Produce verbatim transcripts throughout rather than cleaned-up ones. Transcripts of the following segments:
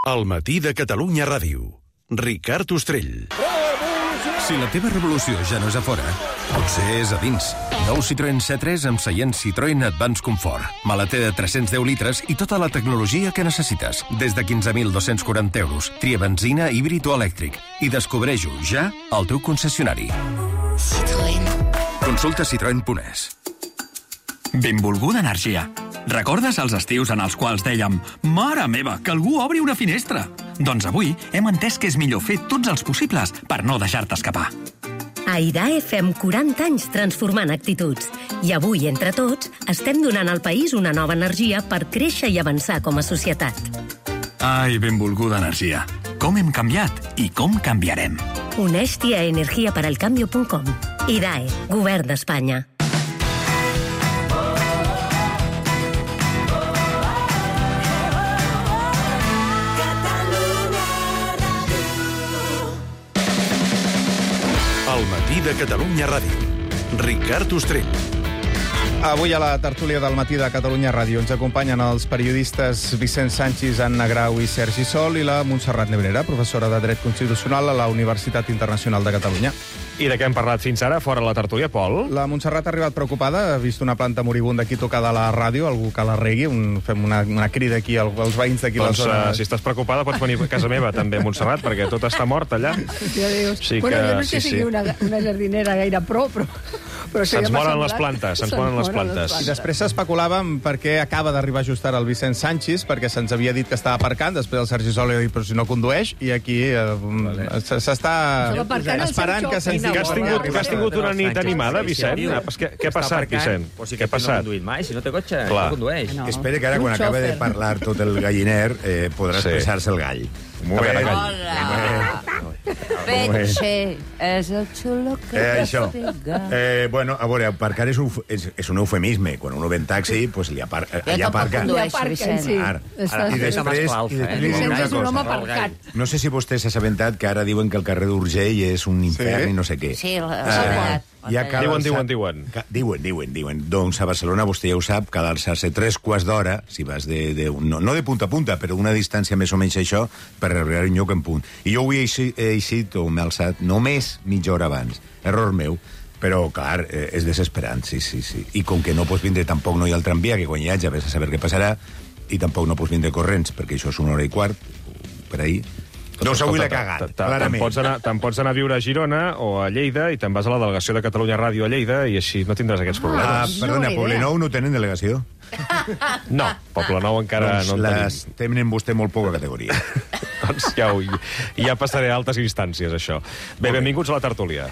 El matí de Catalunya Ràdio. Ricard Ostrell. Si la teva revolució ja no és a fora, potser és a dins. Nou Citroën C tres amb seient Citroën Advance Comfort. Maleter de tres-cents deu litres i tota la tecnologia que necessites. Des de quinze mil dos-cents quaranta euros. Tria benzina, híbrid o elèctric. I descobreix-ho ja al teu concessionari. Citroën. Consulta citroen punt es. Benvolguda energia. Recordes els estius en els quals dèiem «Mare meva, que algú obri una finestra»? Doncs avui hem entès que és millor fer tots els possibles per no deixar-te escapar. A IDAE fem quaranta anys transformant actituds. I avui, entre tots, estem donant al país una nova energia per créixer i avançar com a societat. Ai, benvolguda energia. Com hem canviat i com canviarem. Uneix-t'hi a energia para el cambio punt com. IDAE, Govern d'Espanya. El matí de Catalunya Ràdio. Ricard Ostrell. Avui a la tertúlia del matí de Catalunya Ràdio ens acompanyen els periodistes Vicent Sanchis, Anna Grau i Sergi Sol i la Montserrat Nebrera, professora de Dret Constitucional a la Universitat Internacional de Catalunya. I de què hem parlat fins ara, fora la tertúlia, Pol? La Montserrat ha arribat preocupada, ha vist una planta moribunda aquí tocada a la ràdio, algú que la regui, un, fem una, una crida aquí als, als veïns d'aquí doncs, la zona. Uh, si estàs preocupada pots venir a casa meva també, Montserrat, perquè tot està mort allà. Ja dius. Sí bueno, que, jo no sé sí, si sí. una, una jardinera gaire pro, però... però se'ns moren les plantes, se'ns moren les plantes. I després s'especulàvem per què acaba d'arribar just ara el Vicent Sanchis, perquè se'ns havia dit que estava aparcant, després el Sergi Sol ha dit, però si no condueix, i aquí eh, vale. s'està esperant que se'ns digui... Que has tingut, que has tingut una nit animada, Vicent? Què, què ha passat, Vicent? Pues si què ha passat? No conduït mai, si no té cotxe, Clar. no condueix. No. Espera que ara, quan acabe de parlar tot el galliner, eh, podrà Sí. expressar-se el gall. Molt bé, gall. Hola. Petxe, és el xulo que Eh, això. t'estiga. Eh, bueno, a veure, aparcar és un, és, és un eufemisme. Quan uno ve en taxi, pues li apar, Jo allà tampoc aparca. condueixo, aparquen, Vicent. sí. Ara, Està- I després, Escalfa, i eh? després li diré Vicent una és un home cosa. aparcat. No sé si vostè s'ha assabentat que ara diuen que el carrer d'Urgell és un infern Sí? i no sé què. Sí, l'ha Eh, tallat. ja cal Diuen, alçar- diuen, diuen. Ca- Diuen, diuen, diuen. Doncs a Barcelona, vostè ja ho sap, cal alçar-se tres quarts d'hora, si vas de, de... No, no de punta a punta, però una distància més o menys això, per arribar a un lloc en punt. I jo avui he eixit, he eixit o m'he alçat només mitja hora abans. Error meu. Però, clar, eh, és desesperant, sí, sí, sí. I com que no pots vindre tampoc no hi ha el tramvia, que quan hi hagi, vés a saber què passarà, i tampoc no pots vindre corrents, perquè això és una hora i quart, per ahir. Doncs avui l'he cagat, Te'n clarament. pots, anar, te pots anar a viure a Girona o a Lleida i te'n vas a la delegació de Catalunya Ràdio a Lleida i així no tindràs aquests Ah, problemes. perdona, Bona idea. Poblenou no tenen delegació? No, Poblenou encara doncs no en les tenen vostè molt poca categoria. tenim. Doncs ja, ho, ja passaré a altes instàncies, això. Bé, benvinguts a la tertúlia.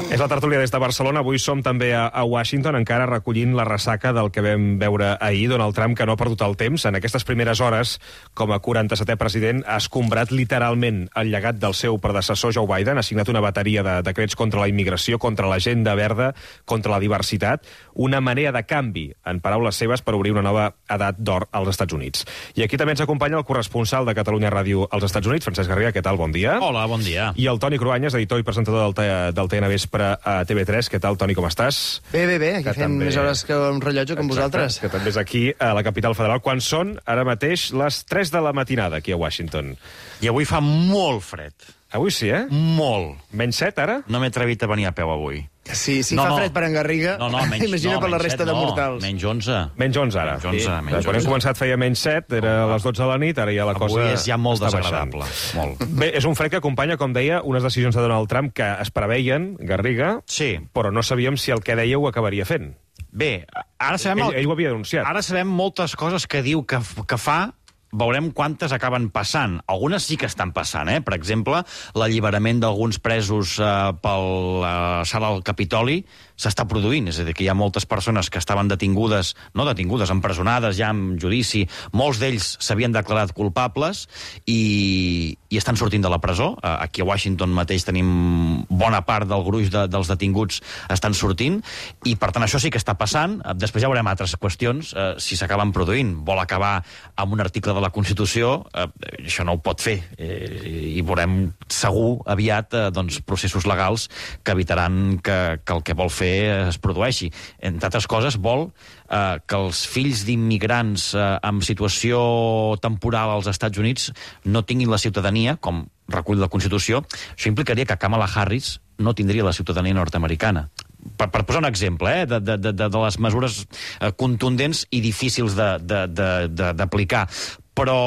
És la tertúlia des de Barcelona. Avui som també a, a Washington, encara recollint la ressaca del que vam veure ahir. Donald Trump, que no ha perdut el temps. En aquestes primeres hores, com a quaranta-setè president, ha escombrat literalment el llegat del seu predecessor, Joe Biden. Ha signat una bateria de decrets contra la immigració, contra l'agenda verda, contra la diversitat. Una marea de canvi, en paraules seves, per obrir una nova edat d'or als Estats Units. I aquí també ens acompanya el corresponsal de Catalunya Ràdio als Estats Units, Francesc Garriga. Què tal? Bon dia. Hola, bon dia. I el Toni Cruanyes, editor i presentador del, T del T N Vespre a T V tres. Què tal, Toni, com estàs? Bé, bé, bé. Aquí Que fem també- més hores que un rellotge com Exacte, vosaltres. que també és aquí, a la capital federal, quan són, ara mateix, les tres de la matinada, aquí a Washington. I avui fa molt fred. Avui sí, eh? Molt. Menys set, ara? No m'he atrevit a venir a peu avui. Sí, si No, fa no. fred per en Garriga, No, no, menys, imagina no, per la menys resta set, de no, mortals. Menys onze. Menys onze, ara. Menys onze, Sí. menys Quan hem onze. començat feia menys set, era a les dotze de la nit, ara ja la cosa Avui és ja molt està baixant. desagradable. Molt. Bé, és un fred que acompanya, com deia, unes decisions de Donald Trump que es preveien, Garriga, Sí. però no sabíem si el que deia ho acabaria fent. Bé, ara sabem... Ell, ell ho havia denunciat. Ara sabem moltes coses que diu que, que fa, veurem quantes acaben passant. Algunes sí que estan passant, eh? Per exemple, l'alliberament d'alguns presos eh, per la sala del Capitoli s'està produint, és a dir, que hi ha moltes persones que estaven detingudes, no detingudes, empresonades ja en judici, molts d'ells s'havien declarat culpables i, i estan sortint de la presó. Eh, Aquí a Washington mateix tenim bona part del gruix de, dels detinguts estan sortint, i per tant això sí que està passant. Eh, Després ja veurem altres qüestions, eh, si s'acaben produint. Vol acabar amb un article de la Constitució, eh, això no ho pot fer, eh, i veurem segur aviat eh, doncs, processos legals que evitaran que, que el que vol fer fer es produeixi. Entre altres coses, vol eh, que els fills d'immigrants eh, amb situació temporal als Estats Units no tinguin la ciutadania, com recull la Constitució. Això implicaria que Kamala Harris no tindria la ciutadania nord-americana. Per, per posar un exemple eh, de, de, de, de les mesures eh, contundents i difícils d'aplicar. Però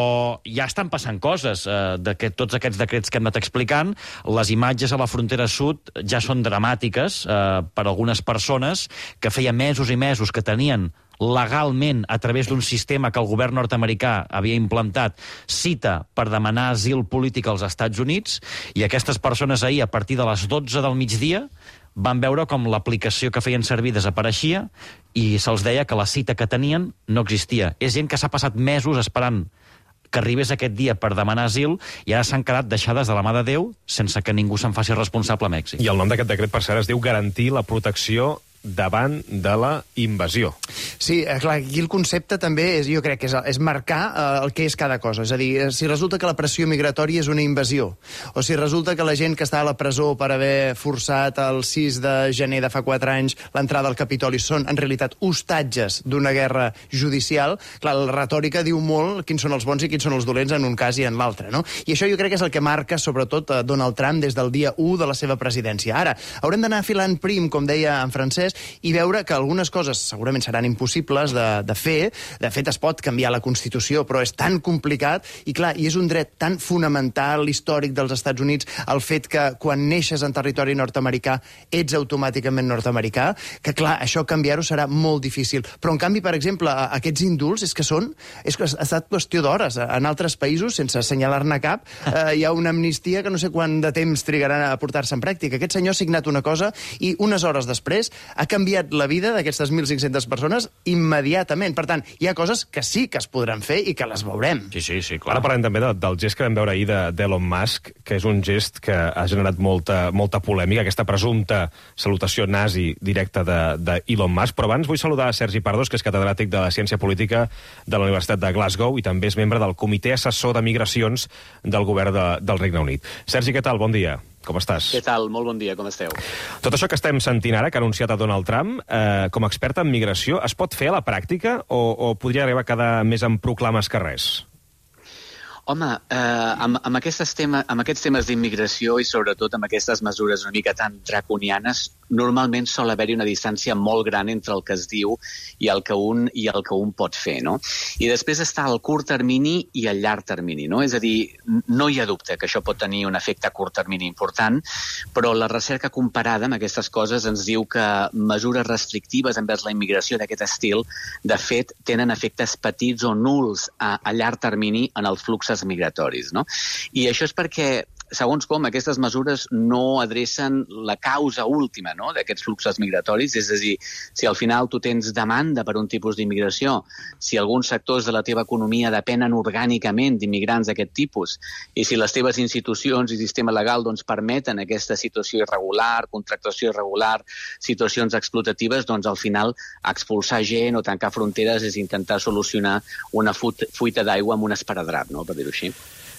ja estan passant coses eh, de que tots aquests decrets que hem anat explicant. Les imatges a la frontera sud ja són dramàtiques eh, per algunes persones que feia mesos i mesos que tenien legalment, a través d'un sistema que el govern nord-americà havia implantat, cita per demanar asil polític als Estats Units, i aquestes persones ahir, a partir de les dotze del migdia, van veure com l'aplicació que feien servir desapareixia i se'ls deia que la cita que tenien no existia. És gent que s'ha passat mesos esperant que arribés aquest dia per demanar asil i ara s'han quedat deixades de la mà de Déu sense que ningú se'n faci responsable a Mèxic. I el nom d'aquest decret, per cert, es diu garantir la protecció davant de la invasió. Sí, clar, aquí el concepte també és, jo crec que és, és marcar eh, el que és cada cosa. És a dir, si resulta que la pressió migratòria és una invasió, o si resulta que la gent que està a la presó per haver forçat el sis de gener de fa quatre anys l'entrada al Capitoli són, en realitat, hostatges d'una guerra judicial, clar, la retòrica diu molt quins són els bons i quins són els dolents en un cas i en l'altre, no? I això jo crec que és el que marca, sobretot, Donald Trump des del dia u de la seva presidència. Ara, haurem d'anar filant prim, com deia en francès, i veure que algunes coses segurament seran impossibles de, de fer. De fet, es pot canviar la Constitució, però és tan complicat, i clar, i és un dret tan fonamental, històric dels Estats Units, el fet que quan neixes en territori nord-americà ets automàticament nord-americà, que clar, això canviar-ho serà molt difícil. Però en canvi, per exemple, aquests indults és que són, és que ha estat qüestió d'hores. En altres països, sense assenyalar-ne cap, eh, hi ha una amnistia que no sé quant de temps trigaran a portar-se en pràctica. Aquest senyor ha signat una cosa i unes hores després ha canviat la vida d'aquestes mil cinc-centes persones immediatament. Per tant, hi ha coses que sí que es podran fer i que les veurem. Sí, sí, sí, clar. Ara parlem també de, del gest que vam veure ahir d'Elon Musk, que és un gest que ha generat molta, molta polèmica, aquesta presumpta salutació nazi directa d'Elon Musk. Però abans vull saludar a Sergi Pardos, que és catedràtic de la Ciència Política de la Universitat de Glasgow i també és membre del Comitè Assessor de Migracions del Govern de, del Regne Unit. Sergi, què tal? Bon dia. Com estàs? Què tal? Molt bon dia, com esteu? Tot això que estem sentint ara, que ha anunciat a Donald Trump, eh, com a expert en migració, es pot fer a la pràctica o, o podria arribar a quedar més en proclames que res? Home, eh, amb, amb, aquestes tema, amb aquests temes d'immigració i sobretot amb aquestes mesures una mica tan draconianes, normalment sol haver-hi una distància molt gran entre el que es diu i el que un, i el que un pot fer, no? I després està el curt termini i el llarg termini, no? És a dir, no hi ha dubte que això pot tenir un efecte a curt termini important, però la recerca comparada amb aquestes coses ens diu que mesures restrictives envers la immigració d'aquest estil, de fet, tenen efectes petits o nuls a, a llarg termini en els fluxos migratoris, no? I això és perquè, segons com, aquestes mesures no adrecen la causa última, no?, d'aquests fluxos migratoris, és a dir, si al final tu tens demanda per un tipus d'immigració, si alguns sectors de la teva economia depenen orgànicament d'immigrants d'aquest tipus, i si les teves institucions i sistema legal doncs, permeten aquesta situació irregular, contractació irregular, situacions explotatives, doncs al final expulsar gent o tancar fronteres és intentar solucionar una fuita d'aigua amb un esparadrap, no?, per dir-ho així.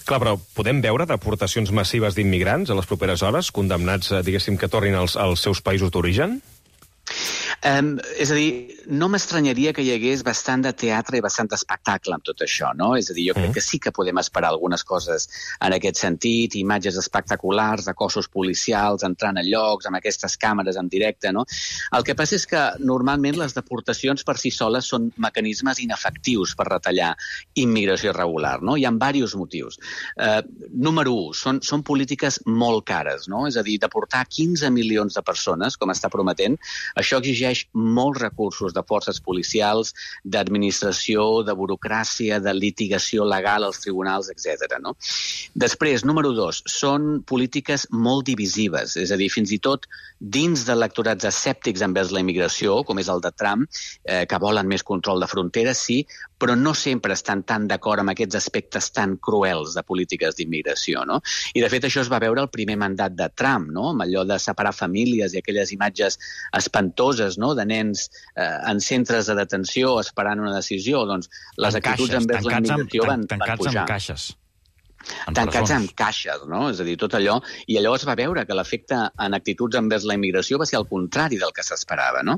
Clar, però podem veure deportacions massives d'immigrants a les properes hores, condemnats, diguéssim, que tornin als, als seus països d'origen? Um, és a dir, no m'estranyaria que hi hagués bastant de teatre i bastant d'espectacle amb tot això, no? És a dir, jo crec que sí que podem esperar algunes coses en aquest sentit, imatges espectaculars de cossos policials entrant a llocs amb aquestes càmeres en directe, no? El que passa és que normalment les deportacions per si soles són mecanismes inefectius per retallar immigració irregular, no? Hi ha diversos motius. Uh, número u, són, són polítiques molt cares, no? És a dir, deportar quinze milions de persones, com està prometent, això exigeix molts recursos de forces policials, d'administració, de burocràcia, de litigació legal als tribunals, etcètera. No? Després, número dos, són polítiques molt divisives, és a dir, fins i tot dins d'electorats escèptics envers la immigració, com és el de Trump, eh, que volen més control de fronteres, sí, però no sempre estan tan d'acord amb aquests aspectes tan cruels de polítiques d'immigració, no? I, de fet, això es va veure al primer mandat de Trump, no?, amb allò de separar famílies i aquelles imatges espantoses, no?, de nens eh, en centres de detenció esperant una decisió. Doncs les en actituds caixes, envers la immigració amb, van, tancats van pujar. Amb caixes. tancats en caixes, no? És a dir, tot allò. I allò es va veure que l'efecte en actituds envers la immigració va ser el contrari del que s'esperava, no?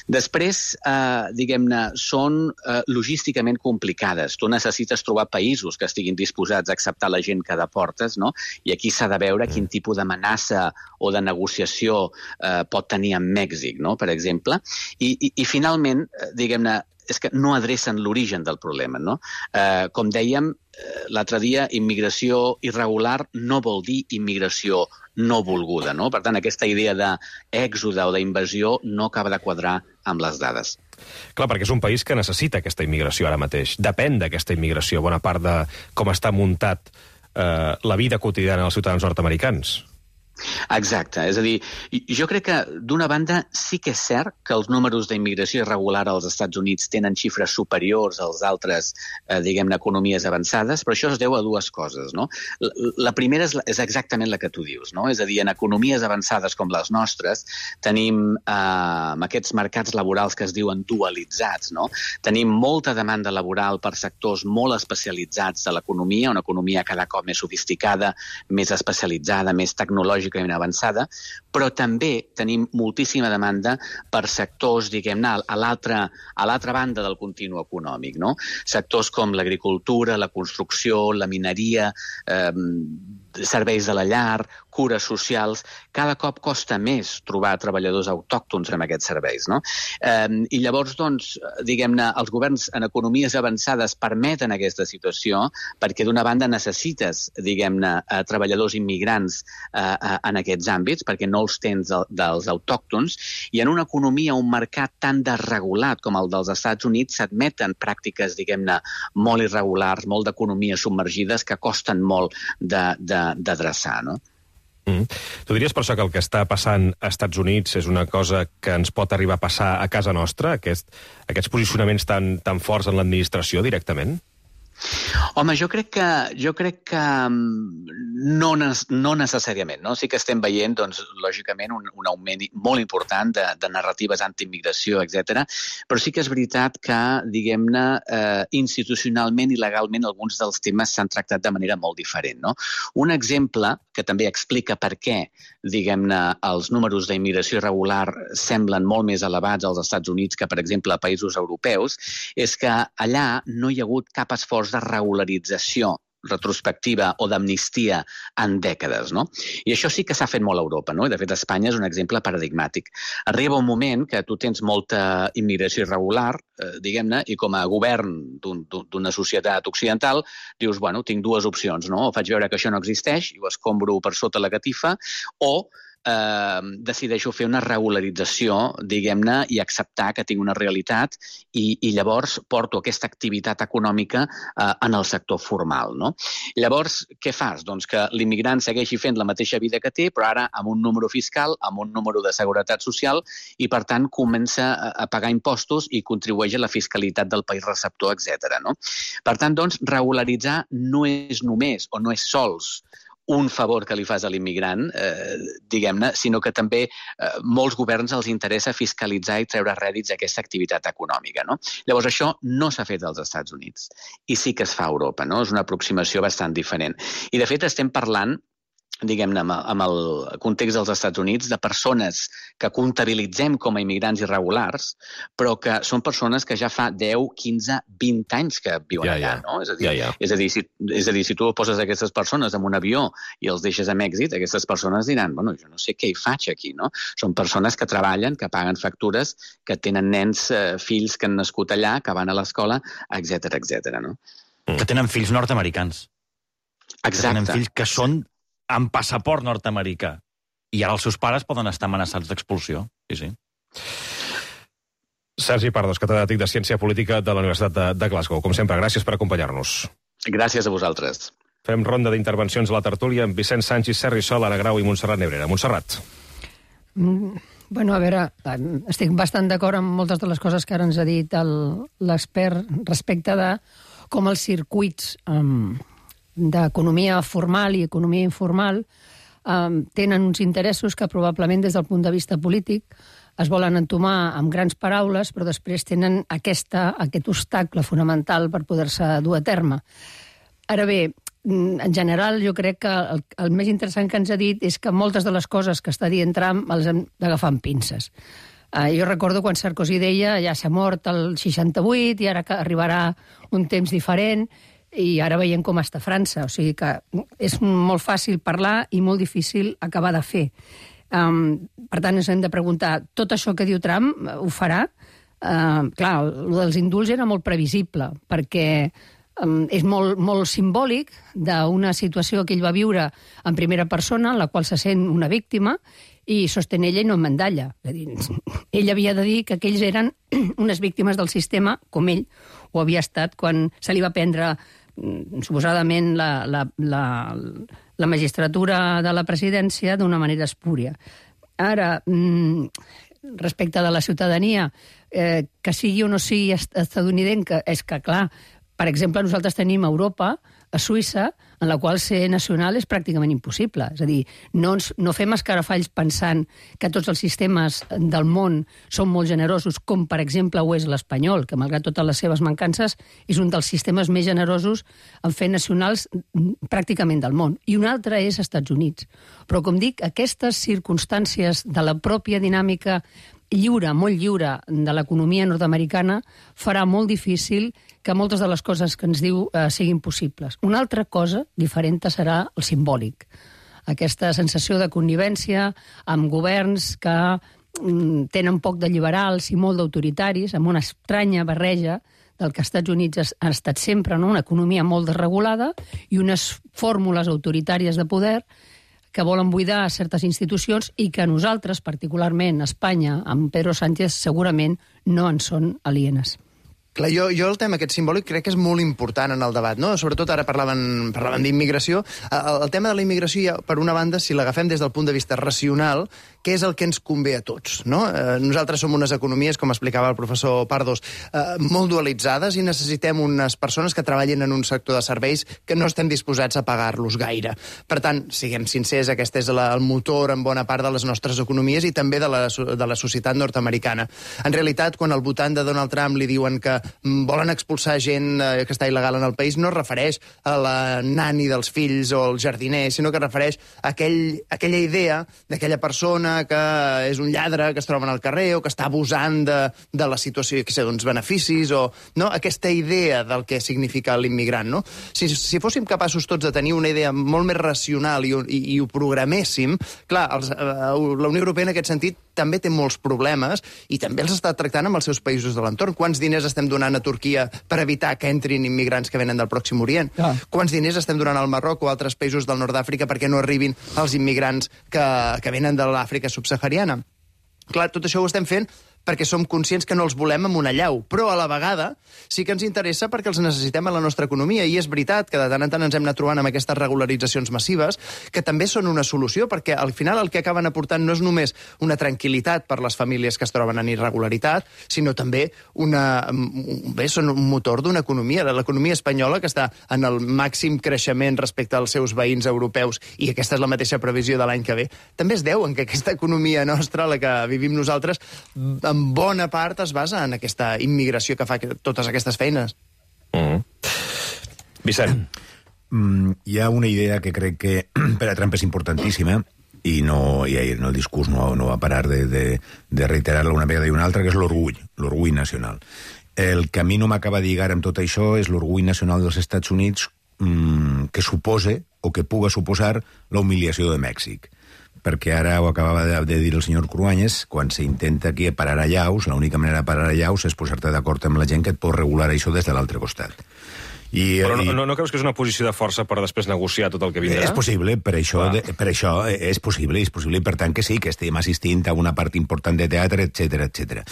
Després, eh, diguem-ne, són eh, logísticament complicades. Tu necessites trobar països que estiguin disposats a acceptar la gent que deportes, no? I aquí s'ha de veure quin tipus d'amenaça o de negociació eh, pot tenir amb Mèxic, no?, per exemple. I, i, i finalment, diguem-ne, és que no adrecen l'origen del problema, no? Eh, com dèiem, eh, l'altre dia, immigració irregular no vol dir immigració no volguda, no? Per tant, aquesta idea d'èxode o d'invasió no acaba de quadrar amb les dades. Clar, perquè és un país que necessita aquesta immigració ara mateix. Depèn d'aquesta immigració, bona part de com està muntat eh, la vida quotidiana dels ciutadans nord-americans. Exacte, és a dir, jo crec que d'una banda sí que és cert que els números d'immigració irregular als Estats Units tenen xifres superiors als altres, eh, diguem-ne, economies avançades, però això es deu a dues coses, no? La, la primera és, és exactament la que tu dius, no? És a dir, en economies avançades com les nostres tenim eh, aquests mercats laborals que es diuen dualitzats, no? Tenim molta demanda laboral per sectors molt especialitzats de l'economia, una economia cada cop més sofisticada, més especialitzada, més tecnològica, avançada, però també tenim moltíssima demanda per sectors, diguem-ne, a l'altra a l'altra banda del continu econòmic, no? Sectors com l'agricultura, la construcció, la mineria, eh, serveis de la llar, cures socials. Cada cop costa més trobar treballadors autòctons en aquests serveis, no? Eh, I llavors, doncs, diguem-ne, els governs en economies avançades permeten aquesta situació perquè d'una banda necessites, diguem-ne, treballadors immigrants eh, en aquests àmbits, perquè no els tens dels autòctons, i en una economia, un mercat tan desregulat com el dels Estats Units, s'admeten pràctiques, diguem-ne, molt irregulars, molt d'economies submergides que costen molt d'adreçar, no? Mm. Tu diries per això que el que està passant als Estats Units és una cosa que ens pot arribar a passar a casa nostra, aquest, aquests posicionaments tan, tan forts en l'administració directament? Home, jo crec que, jo crec que no, no necessàriament, no? Sí que estem veient, doncs, lògicament, un, un augment molt important de, de narratives anti-immigració, etcètera. Però sí que és veritat que, diguem-ne, eh, institucionalment i legalment alguns dels temes s'han tractat de manera molt diferent, no? Un exemple que també explica per què, diguem-ne, els números d'immigració irregular semblen molt més elevats als Estats Units que, per exemple, a països europeus, és que allà no hi ha hagut cap esforç de regularització retrospectiva o d'amnistia en dècades, no? I això sí que s'ha fet molt a Europa, no? I de fet Espanya és un exemple paradigmàtic. Arriba un moment que tu tens molta immigració irregular, eh, diguem-ne, i com a govern d'una societat occidental dius, bueno, tinc dues opcions, no? O faig veure que això no existeix i ho escombro per sota la catifa, o Eh, decideixo fer una regularització, diguem-ne, i acceptar que tinc una realitat i, i llavors porto aquesta activitat econòmica eh, en el sector formal, no? Llavors, què fas? Doncs que l'immigrant segueixi fent la mateixa vida que té, però ara amb un número fiscal, amb un número de seguretat social, i per tant comença a pagar impostos i contribueix a la fiscalitat del país receptor, etcètera, no? Per tant, doncs, regularitzar no és només o no és sols un favor que li fas a l'immigrant, eh, diguem-ne, sinó que també eh, molts governs els interessa fiscalitzar i treure rèdits d'aquesta activitat econòmica, no? Llavors, això no s'ha fet als Estats Units i sí que es fa a Europa, no? És una aproximació bastant diferent. I, de fet, estem parlant, diguem-ne, amb el context dels Estats Units, de persones que comptabilitzem com a immigrants irregulars, però que són persones que ja fa deu, quinze, vint anys que viuen ja, allà, ja. no? És a dir, ja, ja. És a dir, si, és a dir, si tu poses aquestes persones en un avió i els deixes amb èxit, aquestes persones diran, bueno, jo no sé què hi faig aquí, no? Són persones que treballen, que paguen factures, que tenen nens, eh, fills que han nascut allà, que van a l'escola, etcètera, etcètera, no? Que tenen fills nord-americans. Exacte. Que tenen fills que són amb passaport nord-americà. I ara els seus pares poden estar amenaçats d'expulsió. Sí, sí. Sergi Pardos, catedràtic de Ciència Política de la Universitat de, de Glasgow. Com sempre, gràcies per acompanyar-nos. Gràcies a vosaltres. Fem ronda d'intervencions a la tertúlia amb Vicent Sanchis, Sergi Sol, Anna Grau i Montserrat Nebrera. Montserrat. Mm, bueno, a veure, estic bastant d'acord amb moltes de les coses que ara ens ha dit l'expert respecte de com els circuits um, d'economia formal i economia informal um, tenen uns interessos que probablement des del punt de vista polític es volen entomar amb grans paraules, però després tenen aquesta, aquest obstacle fonamental per poder-se dur a terme. Ara bé, en general, jo crec que el, el més interessant que ens ha dit és que moltes de les coses que està dient Trump les hem d'agafar amb pinces. Uh, jo recordo quan Sarkozy deia ja s'ha mort el seixanta-vuit i ara que arribarà un temps diferent, i ara veiem com està França. O sigui que és molt fàcil parlar i molt difícil acabar de fer. Um, per tant, ens hem de preguntar, tot això que diu Trump ho farà? Uh, clar, el dels indults era molt previsible, perquè um, és molt, molt simbòlic d'una situació que ell va viure en primera persona, en la qual se sent una víctima, i sostén ella i no mandalla. És a dir, ell havia de dir que aquells eren unes víctimes del sistema, com ell ho havia estat quan se li va prendre suposadament la, la, la, la magistratura de la presidència d'una manera espúria. Ara, respecte de la ciutadania, eh, que sigui o no sigui estadounidenca, és que, clar, per exemple, nosaltres tenim a Europa, a Suïssa, en la qual ser nacional és pràcticament impossible. És a dir, no, ens, no fem escarafalls pensant que tots els sistemes del món són molt generosos, com per exemple ho és l'espanyol, que malgrat totes les seves mancances és un dels sistemes més generosos en fer nacionals pràcticament del món. I un altre és Estats Units. Però, com dic, aquestes circumstàncies de la pròpia dinàmica lliure, molt lliure, de l'economia nord-americana farà molt difícil que moltes de les coses que ens diu eh, siguin possibles. Una altra cosa diferent serà el simbòlic. Aquesta sensació de connivència amb governs que mm, tenen poc de liberals i molt d'autoritaris, amb una estranya barreja del que als Estats Units ha estat sempre, no? Una economia molt desregulada i unes fórmules autoritàries de poder que volen buidar certes institucions i que nosaltres, particularment a Espanya, amb Pedro Sánchez, segurament no en són alienes. Clar, jo, jo el tema aquest simbòlic crec que és molt important en el debat, no? Sobretot ara parlaven, parlaven d'immigració. El, el tema de la immigració, ja, per una banda, si l'agafem des del punt de vista racional, què és el que ens convé a tots, no? Eh, nosaltres som unes economies, com explicava el professor Pardos, eh, molt dualitzades i necessitem unes persones que treballin en un sector de serveis que no estem disposats a pagar-los gaire. Per tant, siguem sincers, aquest és la, el motor en bona part de les nostres economies i també de la, de la societat nord-americana. En realitat, quan al votant de Donald Trump li diuen que volen expulsar gent eh, que està il·legal en el país, no es refereix a la nani dels fills o el jardiner, sinó que es refereix a aquell, aquella idea d'aquella persona que és un lladre que es troba al carrer o que està abusant de, de la situació, que sé, d'uns beneficis, o no? Aquesta idea del que significa l'immigrant, no? Si, si fóssim capaços tots de tenir una idea molt més racional i, i, i ho programéssim, clar, els, eh, la Unió Europea en aquest sentit també té molts problemes i també els està tractant amb els seus països de l'entorn. Quants diners estem donant a Turquia per evitar que entrin immigrants que venen del Pròxim Orient? Ah. Quants diners estem donant al Marroc o a altres països del nord d'Àfrica perquè no arribin els immigrants que, que venen de l'Àfrica subsahariana? Clar, tot això ho estem fent perquè som conscients que no els volem amb una llau, però a la vegada sí que ens interessa perquè els necessitem a la nostra economia, i és veritat que de tant en tant ens hem anat trobant amb aquestes regularitzacions massives, que també són una solució, perquè al final el que acaben aportant no és només una tranquil·litat per les famílies que es troben en irregularitat, sinó també una, bé, són un motor d'una economia, de l'economia espanyola, que està en el màxim creixement respecte als seus veïns europeus, i aquesta és la mateixa previsió de l'any que ve. També es deu en que aquesta economia nostra, la que vivim nosaltres, en bona part es basa en aquesta immigració que fa totes aquestes feines. Mm. Vicent. Mm, hi ha una idea que crec que per a Trump és importantíssima, i no, i en el discurs no, no va parar de, de, de reiterar-la una vegada i una altra, que és l'orgull, l'orgull nacional. El que a mi no m'acaba de lligar amb tot això és l'orgull nacional dels Estats Units, mm, que supose, o que puga suposar, la humiliació de Mèxic. Perquè ara ho acabava de, de dir el senyor Cruanyes, quan s'intenta aquí parar a llaus, l'única manera de parar a llaus és posar-te d'acord amb la gent que et pot regular això des de l'altre costat. I, Però no, i... no, no creus que és una posició de força per després negociar tot el que vindrà? És possible, per això, de, per això és possible, és possible, i per tant que sí, que estem assistint a una part important de teatre, etcètera, etcètera.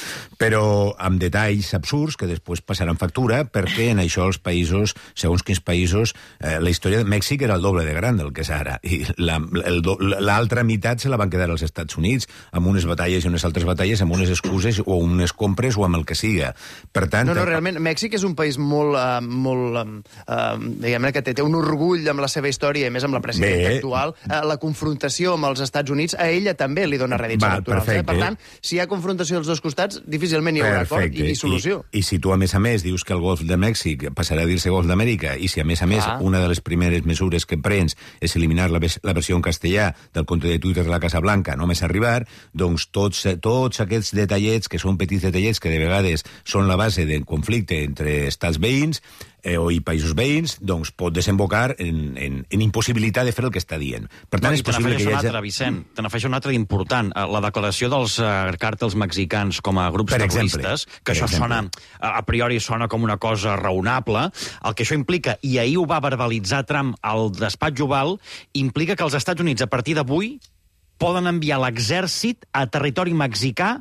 Però amb detalls absurds que després passaran factura, perquè en això els països, segons quins països, eh, la història de Mèxic era el doble de gran del que és ara, i l'altra meitat se la van quedar als Estats Units, amb unes batalles i unes altres batalles, amb unes excuses o unes compres o amb el que siga. Per tant... No, no, realment, Mèxic és un país molt... Uh, molt eh, diguem-ne que té, té un orgull amb la seva història, i més amb la presidenta Bé. actual, eh, la confrontació amb els Estats Units, a ella també li dona rèdits Va, electorals. Eh? perfecte. Per tant, si hi ha confrontació dels dos costats, difícilment hi haurà acord i, i solució. I, I si tu, a més a més, dius que el Golf de Mèxic passarà a dir-se Golf d'Amèrica, i si, a més a més, Ah. una de les primeres mesures que prens és eliminar la, la versió en castellà del compte de Twitter de la Casa Blanca, només arribar, doncs tots, tots aquests detallets, que són petits detallets, que de vegades són la base del conflicte entre estats veïns, eh, o i països veïns, doncs pot desembocar en, en, en impossibilitat de fer el que està dient. Per tant, No, és i te possible que n'afegeixo hi un hagi... altre, Vicent, te n'afegeixo un altre important. Eh, La declaració dels uh, càrtels mexicans com a grups Per terroristes, exemple, que per això exemple. sona, a a priori sona com una cosa raonable, el que això implica, i ahir ho va verbalitzar Trump al despatx Oval, implica que els Estats Units, a partir d'avui, poden enviar l'exèrcit a territori mexicà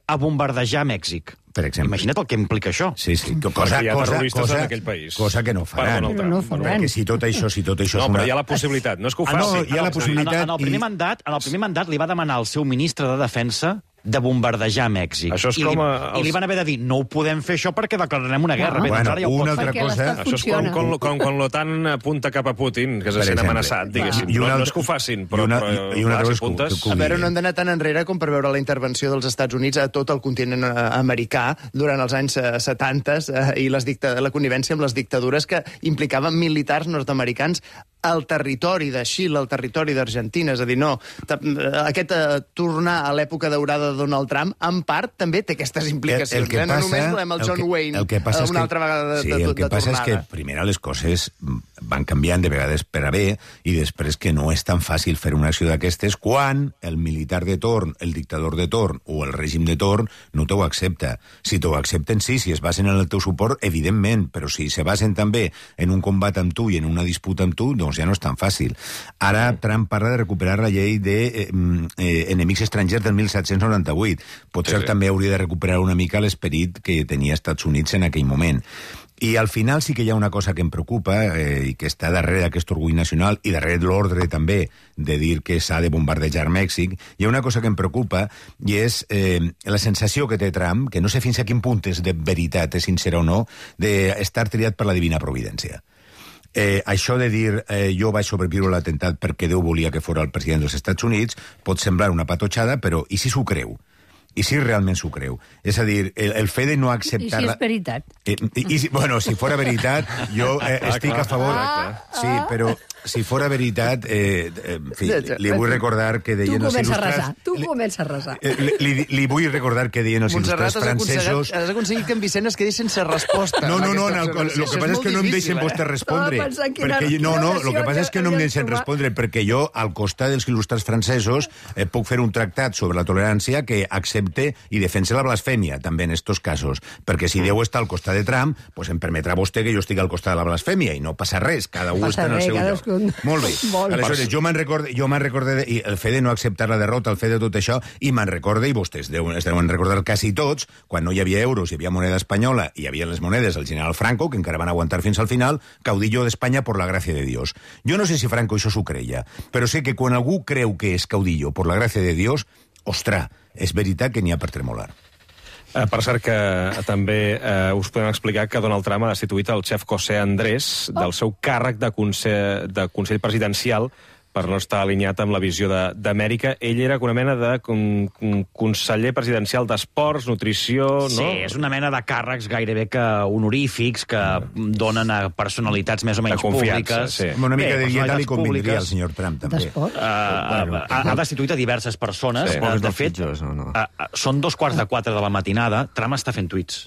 a bombardejar Mèxic. Per exemple. Imagina't el que implica això. Sí, sí. Cosa, hi ha cosa, terroristes cosa, en aquell país. cosa que no faran. Perdona, Però no ho faran. Perquè si tot això, si tot això No, és una... però hi ha la possibilitat, no és que ho Ah, no, faci. hi ha la possibilitat En, en, el primer i- mandat, en el primer mandat li va demanar al seu ministre de Defensa de bombardejar Mèxic. Això és I, com li, a- els- I li van haver de dir, no ho podem fer això perquè declararem una guerra. Ah. Bé, doncs Bueno, ara ja ho una pot altra fer. Perquè cosa... l'estat Això és com funciona. quan, quan, quan l'OTAN apunta cap a Putin, que se Per sent exemple. amenaçat, diguéssim. I una No, no altra- és que ho facin, però, i una- però i una altra clar, cosa si apuntes... que- que- A veure, no hem d'anar tan enrere com per veure la intervenció dels Estats Units a tot el continent eh, americà durant els anys eh, setanta eh, i les dicta la connivència amb les dictadures que implicaven militars nord-americans al territori de Xile, al territori d'Argentina. És a dir, no, ta- eh, aquest eh, tornar a l'època daurada de Donald Trump, en part, també té aquestes implicacions. El, el que eh? No passa, només volem el John que, Wayne el que passa eh, és una que, altra vegada de, sí, de, de, el que de passa és que, tornada. primer, les coses van canviant de vegades per a bé i després que no és tan fàcil fer una acció d'aquestes quan el militar de torn, el dictador de torn o el règim de torn no t'ho accepta. Si t'ho accepten, sí, si es basen en el teu suport, evidentment, però si se basen també en un combat amb tu i en una disputa amb tu, doncs ja no és tan fàcil. Ara Trump parla de recuperar la llei de eh, eh, enemics estrangers del disset noranta-vuit. Potser Sí, sí. també hauria de recuperar una mica l'esperit que tenia Estats Units en aquell moment. I al final sí que hi ha una cosa que em preocupa eh, i que està darrere d'aquest orgull nacional i darrere l'ordre també de dir que s'ha de bombardejar Mèxic. Hi ha una cosa que em preocupa i és eh, la sensació que té Trump, que no sé fins a quin punt és de veritat, és sincera o no, d'estar triat per la divina providència. Eh, això de dir eh, jo vaig sobreviure a l'atemptat perquè Déu volia que fos el president dels Estats Units pot semblar una patotxada, però i si s'ho creu? I si realment s'ho creu? És a dir, el, el fet de no I acceptar... si la- és veritat. Eh, i, i, si- bueno, si fora veritat, jo eh, Ah, estic clar, a favor... clar. Sí, però si fora veritat, eh, eh, en fi, li vull recordar que Tu deien els comença a il·lustrats... resar, tu li- comença a resar. eh, Li, li, li vull recordar que deien els Montserrat, il·lustrats has aconseguit, francesos... has aconseguit que en Vicent es quedi sense resposta. No, no, amb no, aquesta no el, el, observació. el que Això passa és molt que no em difícil, deixen eh? vostès respondre. Estava pensant quina- Perquè, no, quina no, oració el que passa és que no em havies deixen trobat. respondre, perquè jo, al costat dels il·lustrats francesos, eh, puc fer un tractat sobre la tolerància que accepte i defense la blasfèmia, també en estos casos. Perquè si Déu està al costat de Trump, pues em permetrà vostè que jo estigui al costat de la blasfèmia i no passa res, cada un Passa està en el res, seu lloc. cadascun. Molt bé. Molt bé. Aleshores, jo me'n recorde, jo me'n recorde de, i el fet de no acceptar la derrota, el fet de tot això, i me'n recorde, i vostès deuen, es deuen recordar quasi tots, quan no hi havia euros, hi havia moneda espanyola, i hi havia les monedes del general Franco, que encara van aguantar fins al final, caudillo d'Espanya por la gràcia de Dios. Jo no sé si Franco això s'ho creia, però sé que quan algú creu que és caudillo por la gràcia de Dios, ostres, és veritat que n'hi ha per tremolar. Eh, per cert que eh, també eh, us podem explicar que Donald Trump ha destituït el xef José Andrés del seu càrrec de Consell, de Consell Presidencial per no estar alineat amb la visió de- d'Amèrica. Ell era una mena de con, con, conseller presidencial d'esports, nutrició... Sí, no? és una mena de càrrecs gairebé que honorífics que donen a personalitats més o menys De confiança, públiques. sí. Una mica Bé, de dieta li personalitats convindria al públiques. senyor Trump, també. D'esport. Uh, ha, ha destituït a diverses persones. Sí. Uh, de dels fet, pitjors, o no? uh, uh, són dos quarts de quatre de la matinada. Trump està fent tuits.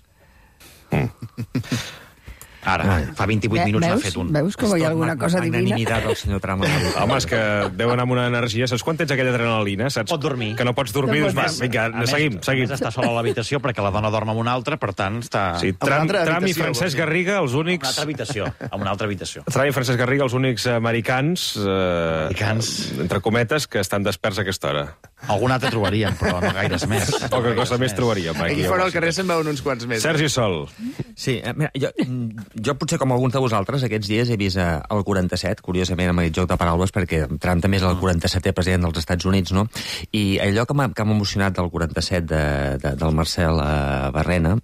Ara, fa vint-i-vuit Ve- minuts n'ha veus? fet un. Veus com hi ha alguna cosa divina? Magnanimitat del senyor Trump. Home, és que deu anar amb una energia... Saps quan tens aquella adrenalina? Saps? Pot dormir. Que no pots dormir. No Doncs va, pots. vinga, A més, seguim, A seguim. més, està sola a l'habitació perquè la dona dorm amb una altra, per tant, està... Sí, una Trump, altra Trump i habitació, Francesc vols dir? Garriga, els En una únics... altra habitació. En una altra habitació. Trump i Francesc Garriga, els únics americans, eh, Americans. entre cometes, que estan desperts a aquesta hora. Algun altre trobaríem, però no gaires més. Poca cosa més trobaríem. Aquí fora al carrer se'n veuen uns quants més. Sergi Sol. Sí, eh, mira, jo, jo potser com alguns de vosaltres aquests dies he vist eh, el quaranta-set, curiosament amb aquest joc de paraules, perquè Trump també és el quaranta-setè president dels Estats Units, no? I allò que m'ha que m'ha emocionat del quaranta-set de, de, del Marcel eh, Barrena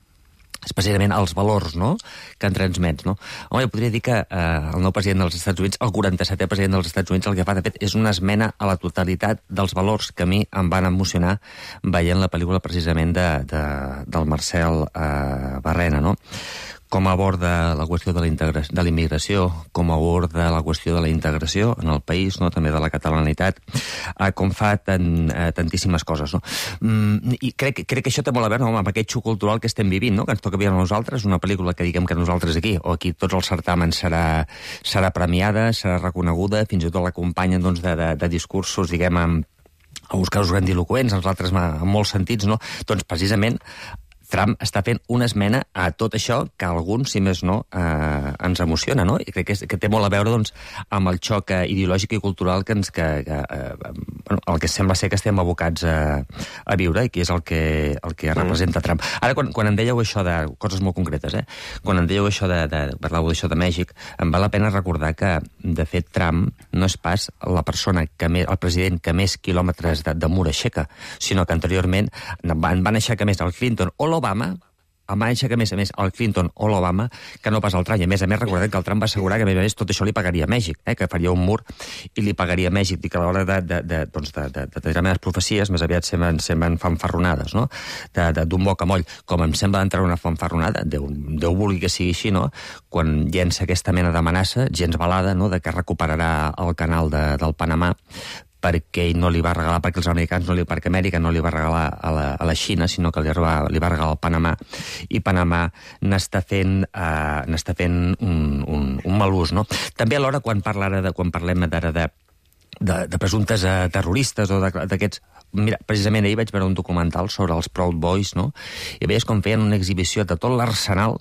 és precisament els valors, no?, que en transmets, no? Home, jo podria dir que eh, el nou president dels Estats Units, el quaranta-setè president dels Estats Units, el que fa, de fet, és una esmena a la totalitat dels valors que a mi em van emocionar veient la pel·lícula precisament de, de, del Marcel eh, Barrena, no? Com aborda la qüestió de la immigració, com aborda la qüestió de la integració en el país, no?, també de la catalanitat, eh, com fa tan, eh, tantíssimes coses, no? Mm, I crec, crec que això té molt a veure, no?, amb aquest xoc cultural que estem vivint, no?, que ens toca viure a nosaltres, una pel·lícula que diguem que nosaltres aquí, o aquí tots els certàmens serà, serà premiada, serà reconeguda, fins i tot l'acompanyen, doncs, de, de, de discursos, diguem, amb, a buscar els grandiloquents, els altres en molts sentits, no? Doncs precisament Trump està fent una esmena a tot això que a alguns, si més no, eh, ens emociona, no? I crec que, és, que té molt a veure, doncs, amb el xoc eh, ideològic i cultural que ens, que, que, eh, bueno, el que sembla ser que estem abocats a, a viure i que és el que, el que representa Trump. Ara, quan, quan em dèieu això de coses molt concretes, eh? Quan em dèieu això de, de parlàveu d'això de Mèxic, em val la pena recordar que, de fet, Trump no és pas la persona que més, el president que més quilòmetres de, de mur aixeca, sinó que anteriorment van, van aixecar més el Clinton o l'Obama, em va aixecar més a més el Clinton o l'Obama que no pas el Trump. I a més a més recordem que el Trump va assegurar que a més a més tot això li pagaria a Mèxic, eh? Que faria un mur i li pagaria a Mèxic, i que a l'hora de, de, de, doncs de, de, de determinades profecies més aviat semblen, semblen fanfarronades, no? D'un bocamoll, com em sembla d'entrar una fanfarronada, Déu, Déu vulgui que sigui així, no? Quan llença aquesta mena d'amenaça, gens balada, no?, de que recuperarà el canal de, del Panamà, perquè ell no li va regalar, perquè els americans no li, perquè Amèrica no li va regalar a la, a la Xina, sinó que li va, li va regalar al Panamà, i Panamà n'està fent, uh, n'està fent un, un, un mal ús, no? També alhora, quan, parlarà de, quan parlem d'ara de, de, de presumptes uh, terroristes o d'aquests... Mira, precisament ahir vaig veure un documental sobre els Proud Boys, no? I veies com feien una exhibició de tot l'arsenal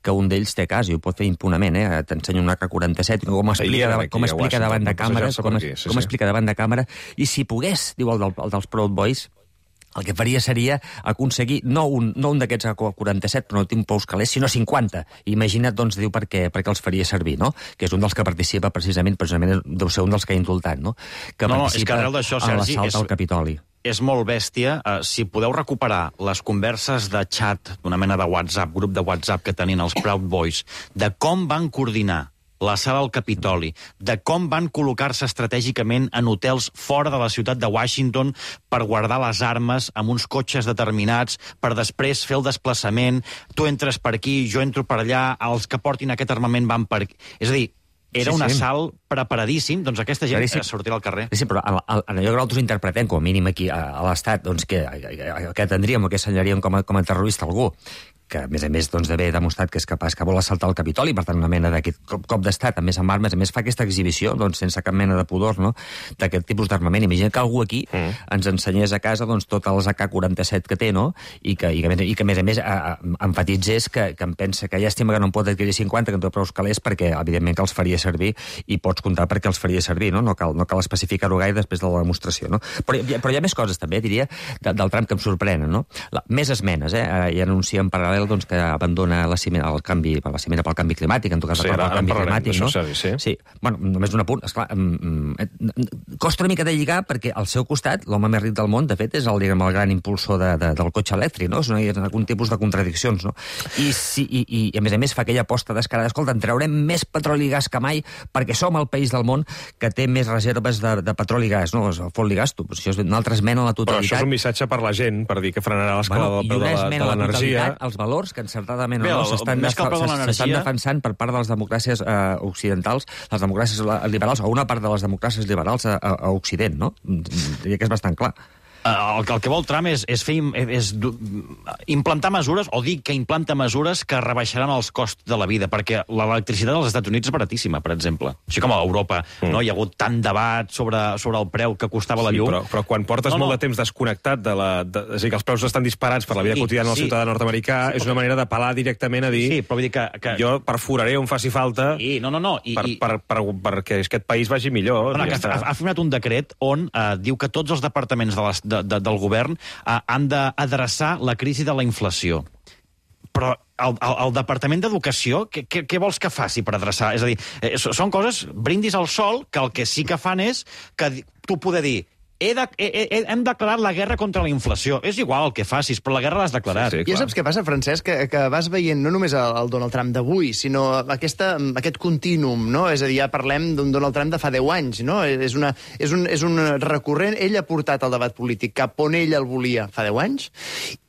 que un d'ells té a casa, i ho pot fer impunament, eh? T'ensenyo un A K quaranta-set, com explica, davant, com explica davant de càmera, com, aquí, sí, com sí. explica davant de càmera, i si pogués, diu el, del, el dels Proud Boys, el que faria seria aconseguir no un, no un d'aquests A K quaranta-set, però no tinc pous calés, sinó cinquanta. Imagina't, doncs, diu, per què, per què els faria servir, no? Que és un dels que participa precisament, precisament deu ser un dels que ha indultat, no? Que no, és que arrel d'això, Sergi, és, al Capitoli. És molt bèstia. Uh, si podeu recuperar les converses de xat, d'una mena de WhatsApp, grup de WhatsApp que tenien els Proud Boys, de com van coordinar la sala al Capitoli, de com van col·locar-se estratègicament en hotels fora de la ciutat de Washington per guardar les armes amb uns cotxes determinats, per després fer el desplaçament, tu entres per aquí, jo entro per allà, els que portin aquest armament van per aquí. És a dir, era sí, un assalt sí. preparadíssim, doncs aquesta gent sí. sortirà al carrer. Sí, però en allò que nosaltres interpretem, com a mínim aquí a, a l'Estat, doncs que, que tindríem o que assenyaríem com a, com a terrorista algú que, a més a més, doncs, d'haver demostrat que és capaç, que vol assaltar el Capitoli, per tant, una mena d'aquest cop, cop d'estat, a més amb armes, a més fa aquesta exhibició, doncs, sense cap mena de pudor, no?, d'aquest tipus d'armament. Imagina que algú aquí mm. ens ensenyés a casa, doncs, tots els A K quaranta-set que té, no?, i que, i que, i que a més a més, a, a, enfatitzés que, que em pensa que llàstima que no en pot adquirir cinquanta, que en té prou calés, perquè, evidentment, que els faria servir, i pots comptar perquè els faria servir, no? No cal, no cal especificar-ho gaire després de la demostració, no? Però, però hi ha més coses, també, diria, de, del Trump que em sorprenen, no? La, més esmenes, eh? I anuncia en paral·lel, doncs, que abandona la cimera, el canvi, la cimera pel canvi climàtic, en tot cas, sí, ara, el canvi climàtic, no? Això, sí. Sí. Bueno, només un apunt, esclar, costa una mica de lligar, perquè al seu costat, l'home més ric del món, de fet, és el, diguem, el gran impulsor de, de, del cotxe elèctric, no? És una, algun tipus de contradiccions, no? I, si, i, i, i a més a més, fa aquella aposta descarada, escolta, en traurem més petroli i gas que mai, perquè som el país del món que té més reserves de, de petroli i gas, no? El fot i gas, tu, això és una altra esmena a la totalitat. Però això és un missatge per la gent, per dir que frenarà l'escala bueno, del preu de, de l'energia. Els valors que encertadament o no s'estan defensant per part de les democràcies eh, occidentals, les democràcies liberals, o una part de les democràcies liberals a, a, a Occident, no? Diria que és bastant clar. El, el que vol Trump és, és, fer, és implantar mesures, o dir que implanta mesures que rebaixaran els costs de la vida, perquè l'electricitat als Estats Units és baratíssima, per exemple. Així com a Europa, mm. no? Hi ha hagut tant debat sobre, sobre el preu que costava sí, la llum. Però, però quan portes no, no. molt de temps desconnectat, de la, de, és a dir, que els preus estan disparats per la vida sí, quotidiana del sí. ciutadà nord-americà, sí, és una manera d'apel·lar directament a dir sí, però vull dir que, que... jo perforaré on faci falta sí, no, no, no. I, per, i... per, per, per, perquè aquest país vagi millor. No, no, ha, ha firmat un decret on eh, diu que tots els departaments de les, de, de, del govern uh, han d'adreçar la crisi de la inflació. Però el, el, el Departament d'Educació, què, què, què vols que faci per adreçar? És a dir, eh, són coses, brindis al sol, que el que sí que fan és que tu poder dir he de, he, he, hem declarat la guerra contra la inflació. És igual el que facis, però la guerra l'has declarat. Sí, sí, I saps què passa, Francesc? Que, que vas veient no només el, el Donald Trump d'avui, sinó aquesta, aquest contínuum, no? És a dir, ja parlem d'un Donald Trump de fa deu anys, no? És, una, és, un, és un recurrent. Ell ha portat el debat polític cap on ell el volia fa deu anys,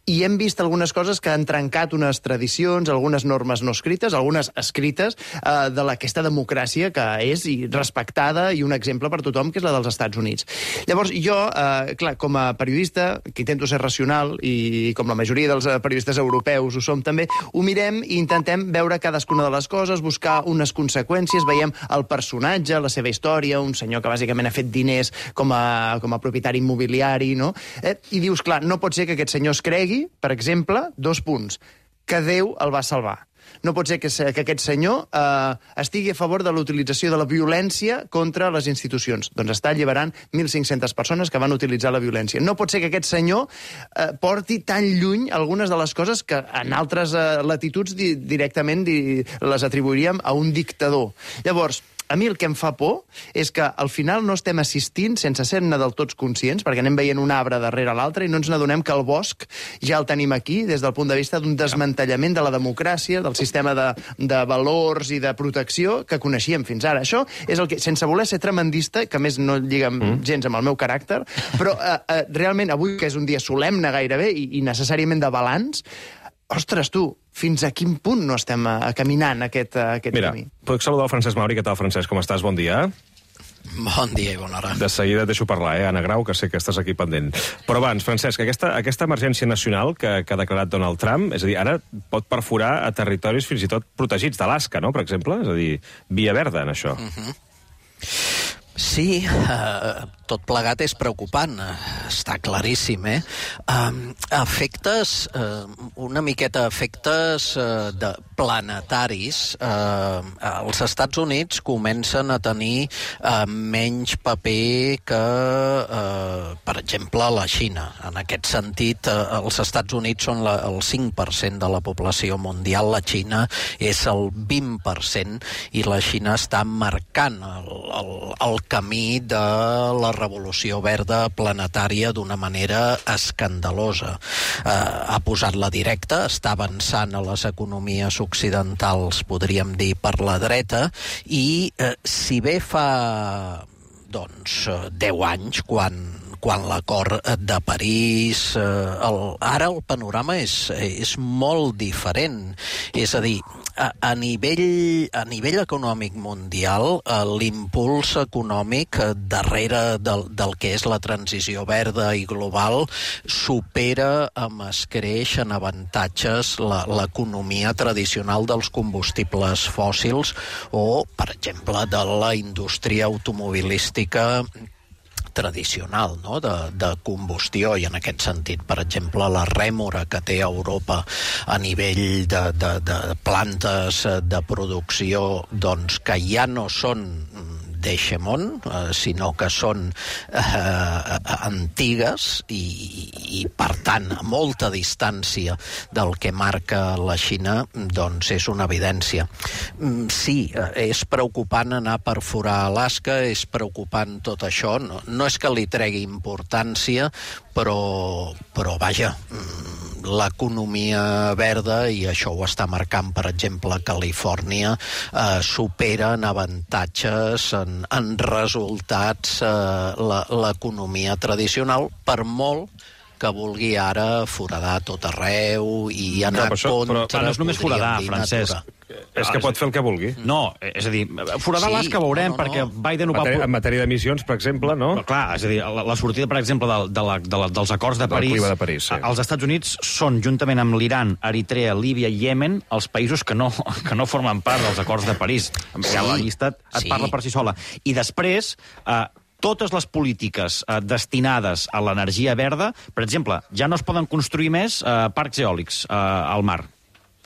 i hem vist algunes coses que han trencat unes tradicions, algunes normes no escrites, algunes escrites, eh, de aquesta democràcia que és i respectada i un exemple per tothom, que és la dels Estats Units. Llavors, jo, eh, clar, com a periodista, que intento ser racional, i com la majoria dels periodistes europeus ho som també, ho mirem i intentem veure cadascuna de les coses, buscar unes conseqüències, veiem el personatge, la seva història, un senyor que bàsicament ha fet diners com a, com a propietari immobiliari, no? Eh, I dius, clar, no pot ser que aquest senyor es cregui, per exemple, dos punts, que Déu el va salvar. No pot ser que, que aquest senyor eh, estigui a favor de l'utilització de la violència contra les institucions. Doncs està alliberant mil cinc-centes persones que van utilitzar la violència. No pot ser que aquest senyor eh, porti tan lluny algunes de les coses que en altres eh, latituds di directament di les atribuiríem a un dictador. Llavors, a mi el que em fa por és que al final no estem assistint sense ser-ne del tots conscients, perquè anem veient un arbre darrere l'altre i no ens n'adonem que el bosc ja el tenim aquí des del punt de vista d'un desmantellament de la democràcia, del sistema de, de valors i de protecció que coneixíem fins ara. Això és el que, sense voler ser tremendista, que a més no lliga mm. gens amb el meu caràcter, però eh, eh, realment avui, que és un dia solemne gairebé i, i necessàriament de balanç, ostres, tu, fins a quin punt no estem uh, caminant aquest, uh, aquest Mira, camí? Mira, puc saludar el Francesc Mauri. Què tal, Francesc? Com estàs? Bon dia. Bon dia i bona hora. De seguida et deixo parlar, eh, Anna Grau, que sé que estàs aquí pendent. Però abans, Francesc, aquesta, aquesta emergència nacional que, que ha declarat Donald Trump, és a dir, ara pot perforar a territoris fins i tot protegits d'Alaska, no?, per exemple? És a dir, via verda en això. Uh-huh. Sí, eh, tot plegat és preocupant, està claríssim, eh? Eh, efectes, eh, una miqueta efectes eh, de planetaris. Eh, els Estats Units comencen a tenir eh, menys paper que, eh, per exemple, la Xina. En aquest sentit, eh, els Estats Units són la, el cinc per cent de la població mundial, la Xina és el vint per cent, i la Xina està marcant el, el, el camí de la revolució verda planetària d'una manera escandalosa. Eh, ha posat la directa, està avançant a les economies occidentals, podríem dir, per la dreta, i eh, si bé fa doncs, deu anys, quan quan l'acord de París... Eh, el, ara el panorama és, és molt diferent. És a dir, a, a, nivell, a nivell econòmic mundial, eh, l'impuls econòmic eh, darrere del, del que és la transició verda i global supera amb escreix en avantatges l'economia tradicional dels combustibles fòssils o, per exemple, de la indústria automobilística tradicional, no?, de, de combustió, i en aquest sentit, per exemple, la rèmora que té Europa a nivell de, de, de plantes de producció, doncs, que ja no són d'Eixemont, eh, sinó que són eh, antigues i, i, per tant, a molta distància del que marca la Xina, doncs és una evidència. Sí, és preocupant anar a perforar Alaska, és preocupant tot això, no, no és que li tregui importància, però, però vaja, l'economia verda, i això ho està marcant, per exemple, Califòrnia, eh, supera en avantatges, en, en resultats, eh, l'economia tradicional, per molt que vulgui ara foradar tot arreu i anar no, això, contra... Però no és només foradar, Francesc. Natura. És que pot fer el que vulgui. No, és a dir, foradar sí, Alaska veurem, no, no, perquè Biden ho va... En matèria d'emissions, per exemple, no? Però, clar, és a dir, la, la sortida, per exemple, de, de la, de la, dels acords de París, de París sí. Els Estats Units són, juntament amb l'Iran, Eritrea, Líbia i Iemen, els països que no, que no formen part dels acords de París. Sí, la llista et sí. parla per si sola. I després... Eh, totes les polítiques eh, destinades a l'energia verda, per exemple, ja no es poden construir més eh, parcs eòlics eh, al mar,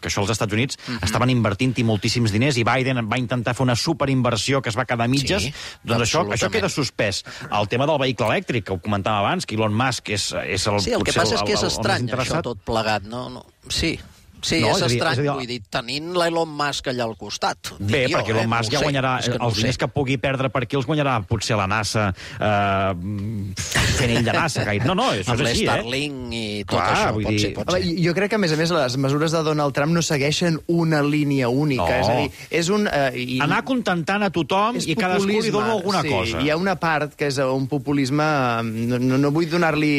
que això els Estats Units uh-huh. estaven invertint-hi moltíssims diners, i Biden va intentar fer una superinversió que es va quedar a mitges, sí, doncs això, això queda suspès. El tema del vehicle elèctric, que ho comentàvem abans, que Elon Musk és, és el... Sí, el que passa és que és estrany, això tot plegat, no? no. Sí. Sí, no? és, és estrany, és dir, vull dir, tenint l'Elon Musk allà al costat. Bé, jo, perquè Elon eh? Musk No ja guanyarà, sé, els no diners que pugui perdre per aquí els guanyarà potser la NASA eh, fent ell de NASA. Gaire. No, no, això amb és així, eh? l'Starlink i tot Clar, això, vull pot dir... ser, pot ser. Jo crec que, a més a més, les mesures de Donald Trump no segueixen una línia única. No. És a dir, és un... Eh, i... Anar contentant a tothom i cadascú li dona alguna sí, cosa. Hi ha una part que és un populisme... No, no, no vull donar-li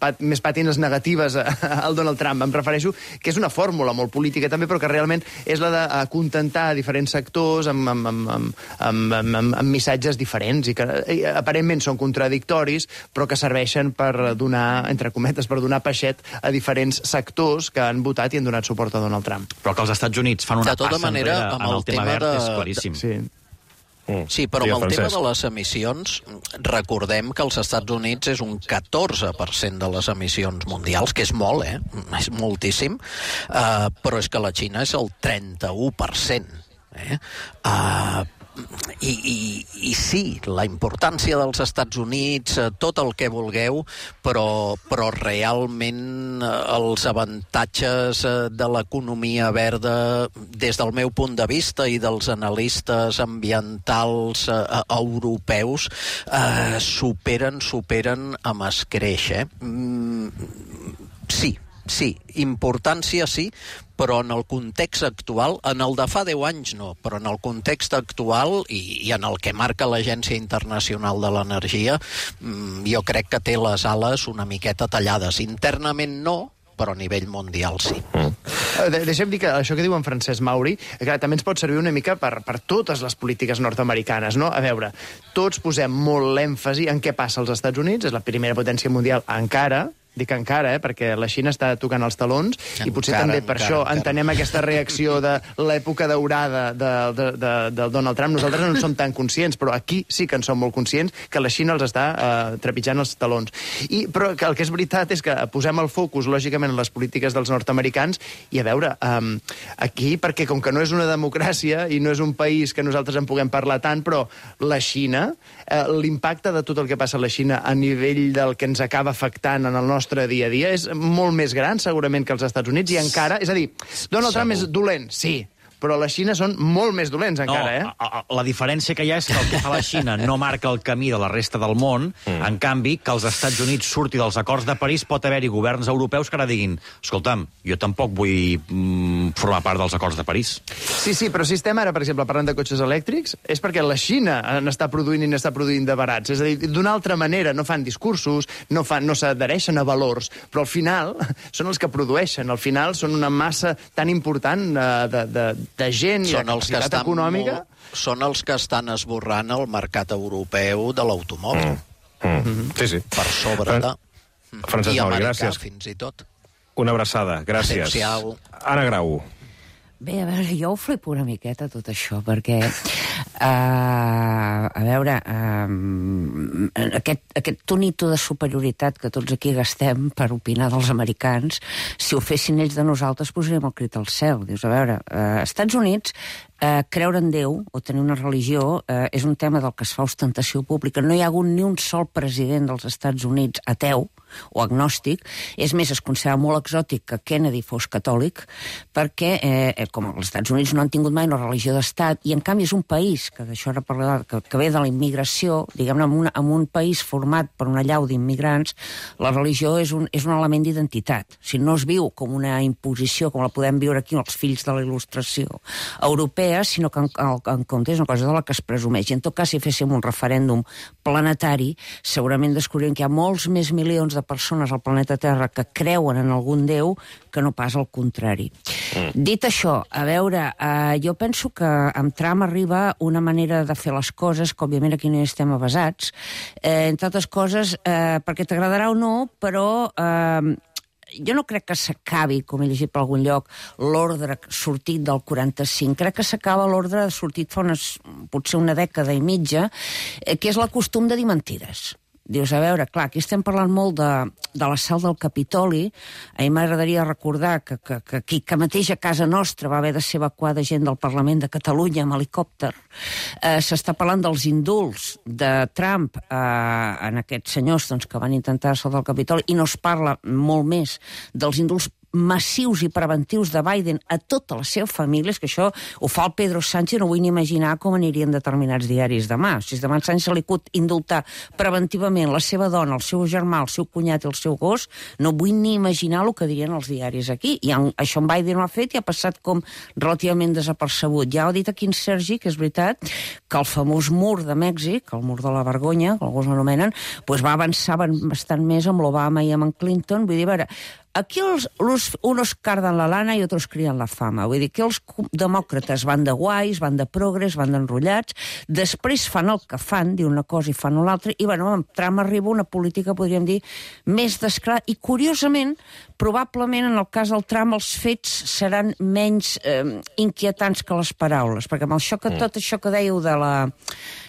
pat, més pàtines negatives al Donald Trump. Em refereixo que és una fórmula molt política també, però que realment és la d'acontentar diferents sectors amb, amb, amb, amb, amb, amb, amb missatges diferents i que i, aparentment són contradictoris, però que serveixen per donar, entre cometes, per donar peixet a diferents sectors que han votat i han donat suport a Donald Trump. Però que els Estats Units fan una De tota passa manera, enrere amb en el el tema tema verd de- és claríssim. Sí. Mm. Sí, però amb el tema de les emissions, recordem que als Estats Units és un catorze per cent de les emissions mundials, que és molt, eh? És moltíssim, uh, però és que la Xina és el trenta-u per cent. Eh? Uh, i, i, I sí, la importància dels Estats Units, eh, tot el que vulgueu, però, però realment eh, els avantatges eh, de l'economia verda, des del meu punt de vista i dels analistes ambientals eh, europeus, eh, superen, superen amb escreix. Eh? Mm, sí, sí, importància sí, però en el context actual, en el de fa deu anys no, però en el context actual i, i en el que marca l'Agència Internacional de l'Energia, jo crec que té les ales una miqueta tallades. Internament no, però a nivell mundial sí. De Deixa'm dir que això que diu en Francesc Mauri que també ens pot servir una mica per, per totes les polítiques nord-americanes, no? A veure, tots posem molt l'èmfasi en què passa als Estats Units, és la primera potència mundial encara, dic encara, eh, perquè la Xina està tocant els talons encara, i potser també per encara, això encara. entenem aquesta reacció de l'època daurada de, de, de, de Donald Trump. Nosaltres no en som tan conscients, però aquí sí que en som molt conscients que la Xina els està eh, trepitjant els talons. I, però que el que és veritat és que posem el focus, lògicament, en les polítiques dels nord-americans i, a veure, eh, aquí, perquè com que no és una democràcia i no és un país que nosaltres en puguem parlar tant, però la Xina, eh, l'impacte de tot el que passa a la Xina a nivell del que ens acaba afectant en el nostre dia a dia és molt més gran, segurament, que els Estats Units, i encara... És a dir, Donald Trump és dolent, sí, però la Xina són molt més dolents encara, no, eh? La diferència que hi ha és que el que fa la Xina no marca el camí de la resta del món, mm. en canvi, que els Estats Units surti dels acords de París, pot haver-hi governs europeus que ara diguin escolta'm, jo tampoc vull mm, formar part dels acords de París. Sí, sí, però si estem ara, per exemple, parlant de cotxes elèctrics, és perquè la Xina n'està produint i n'està produint de barats. És a dir, d'una altra manera, no fan discursos, no, fan, no s'adhereixen a valors, però al final són els que produeixen. Al final són una massa tan important eh, de, de, de gent i són de els que capacitat estan econòmica. Molt, són els que estan esborrant el mercat europeu de l'automòbil. Mm. Mm. Mm. Sí, sí. Per sobre de... Francesc I Mauri, americà, gràcies. fins i tot. Una abraçada, gràcies. Adéu-siau. Anna Grau. Bé, a veure, jo ho flipo una miqueta tot això, perquè, uh, a veure, uh, aquest, aquest tonito de superioritat que tots aquí gastem per opinar dels americans, si ho fessin ells de nosaltres, posaríem el crit al cel. Dius, a veure, uh, Estats Units, uh, creure en Déu o tenir una religió uh, és un tema del que es fa ostentació pública. No hi ha hagut ni un sol president dels Estats Units ateu o agnòstic. És més, es considera molt exòtic que Kennedy fos catòlic, perquè, eh, com els Estats Units no han tingut mai una religió d'estat, i en canvi és un país, que d'això ara parlarà, que, que ve de la immigració, diguem-ne, en, una, en un país format per una llau d'immigrants, la religió és un, és un element d'identitat. O sigui, no es viu com una imposició, com la podem viure aquí els fills de la il·lustració europea, sinó que en, en, en compte és una cosa de la que es presumeix. I en tot cas, si féssim un referèndum planetari, segurament descobrirem que hi ha molts més milions de persones al planeta Terra que creuen en algun déu que no pas al contrari. Mm. Dit això, a veure, eh, jo penso que amb Trump arriba una manera de fer les coses que, òbviament, aquí no hi estem avasats, eh, entre altres coses, eh, perquè t'agradarà o no, però... Eh, jo no crec que s'acabi, com he llegit per algun lloc, l'ordre sortit del quaranta-cinc. Crec que s'acaba l'ordre sortit fa unes, potser una dècada i mitja, eh, que és la costum de dir mentides. Dius, a veure, clar, aquí estem parlant molt de, de l'assalt del Capitoli. A mi m'agradaria recordar que, que, que aquí que mateix a casa nostra va haver de ser evacuada gent del Parlament de Catalunya amb helicòpter. Eh, S'està parlant dels indults de Trump eh, en aquests senyors doncs, que van intentar assaltar el Capitoli, i no es parla molt més dels indults massius i preventius de Biden a tota la seva família, és que això ho fa el Pedro Sánchez, no vull ni imaginar com anirien determinats diaris demà. Si demà Sánchez li cut indultar preventivament la seva dona, el seu germà, el seu cunyat i el seu gos, no vull ni imaginar el que dirien els diaris aquí. I en, això en Biden ho ha fet i ha passat com relativament desapercebut. Ja ho ha dit aquí en Sergi, que és veritat, que el famós mur de Mèxic, el mur de la vergonya, que alguns l'anomenen, doncs va avançar bastant més amb l'Obama i amb en Clinton. Vull dir, a veure, aquí els, los, unos cardan la lana i otros crien la fama. Vull dir que els demòcrates van de guais, van de progres, van d'enrotllats, després fan el que fan, diu una cosa i fan l'altra, i bueno, amb Trump arriba una política, podríem dir, més descarada. I curiosament, probablement en el cas del Trump els fets seran menys eh, inquietants que les paraules, perquè amb això que, tot això que dèieu de la...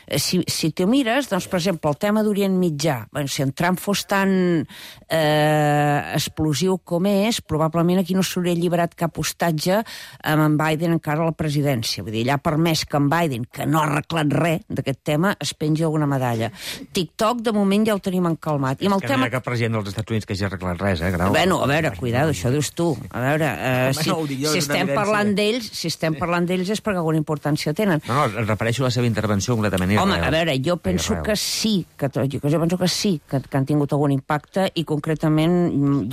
Si, si t'ho mires, doncs, per exemple, el tema d'Orient Mitjà, bueno, si en Trump fos tan eh, explosiu com és, probablement aquí no s'hauria alliberat cap hostatge amb en Biden encara a la presidència. Vull dir, ell ha permès que en Biden, que no ha arreglat res d'aquest tema, es pengi alguna medalla. TikTok, de moment, ja ho tenim encalmat. I amb el que tema... no hi ha cap president dels Estats Units que hagi arreglat res, eh, Grau? Bueno, a veure, cuidado, això dius tu. A veure, eh, si, si estem parlant d'ells, si estem parlant d'ells és perquè alguna importància tenen. No, no, em refereixo a la seva intervenció completament. Home, a veure, jo penso que sí, que, jo penso que sí, que, que han tingut algun impacte i concretament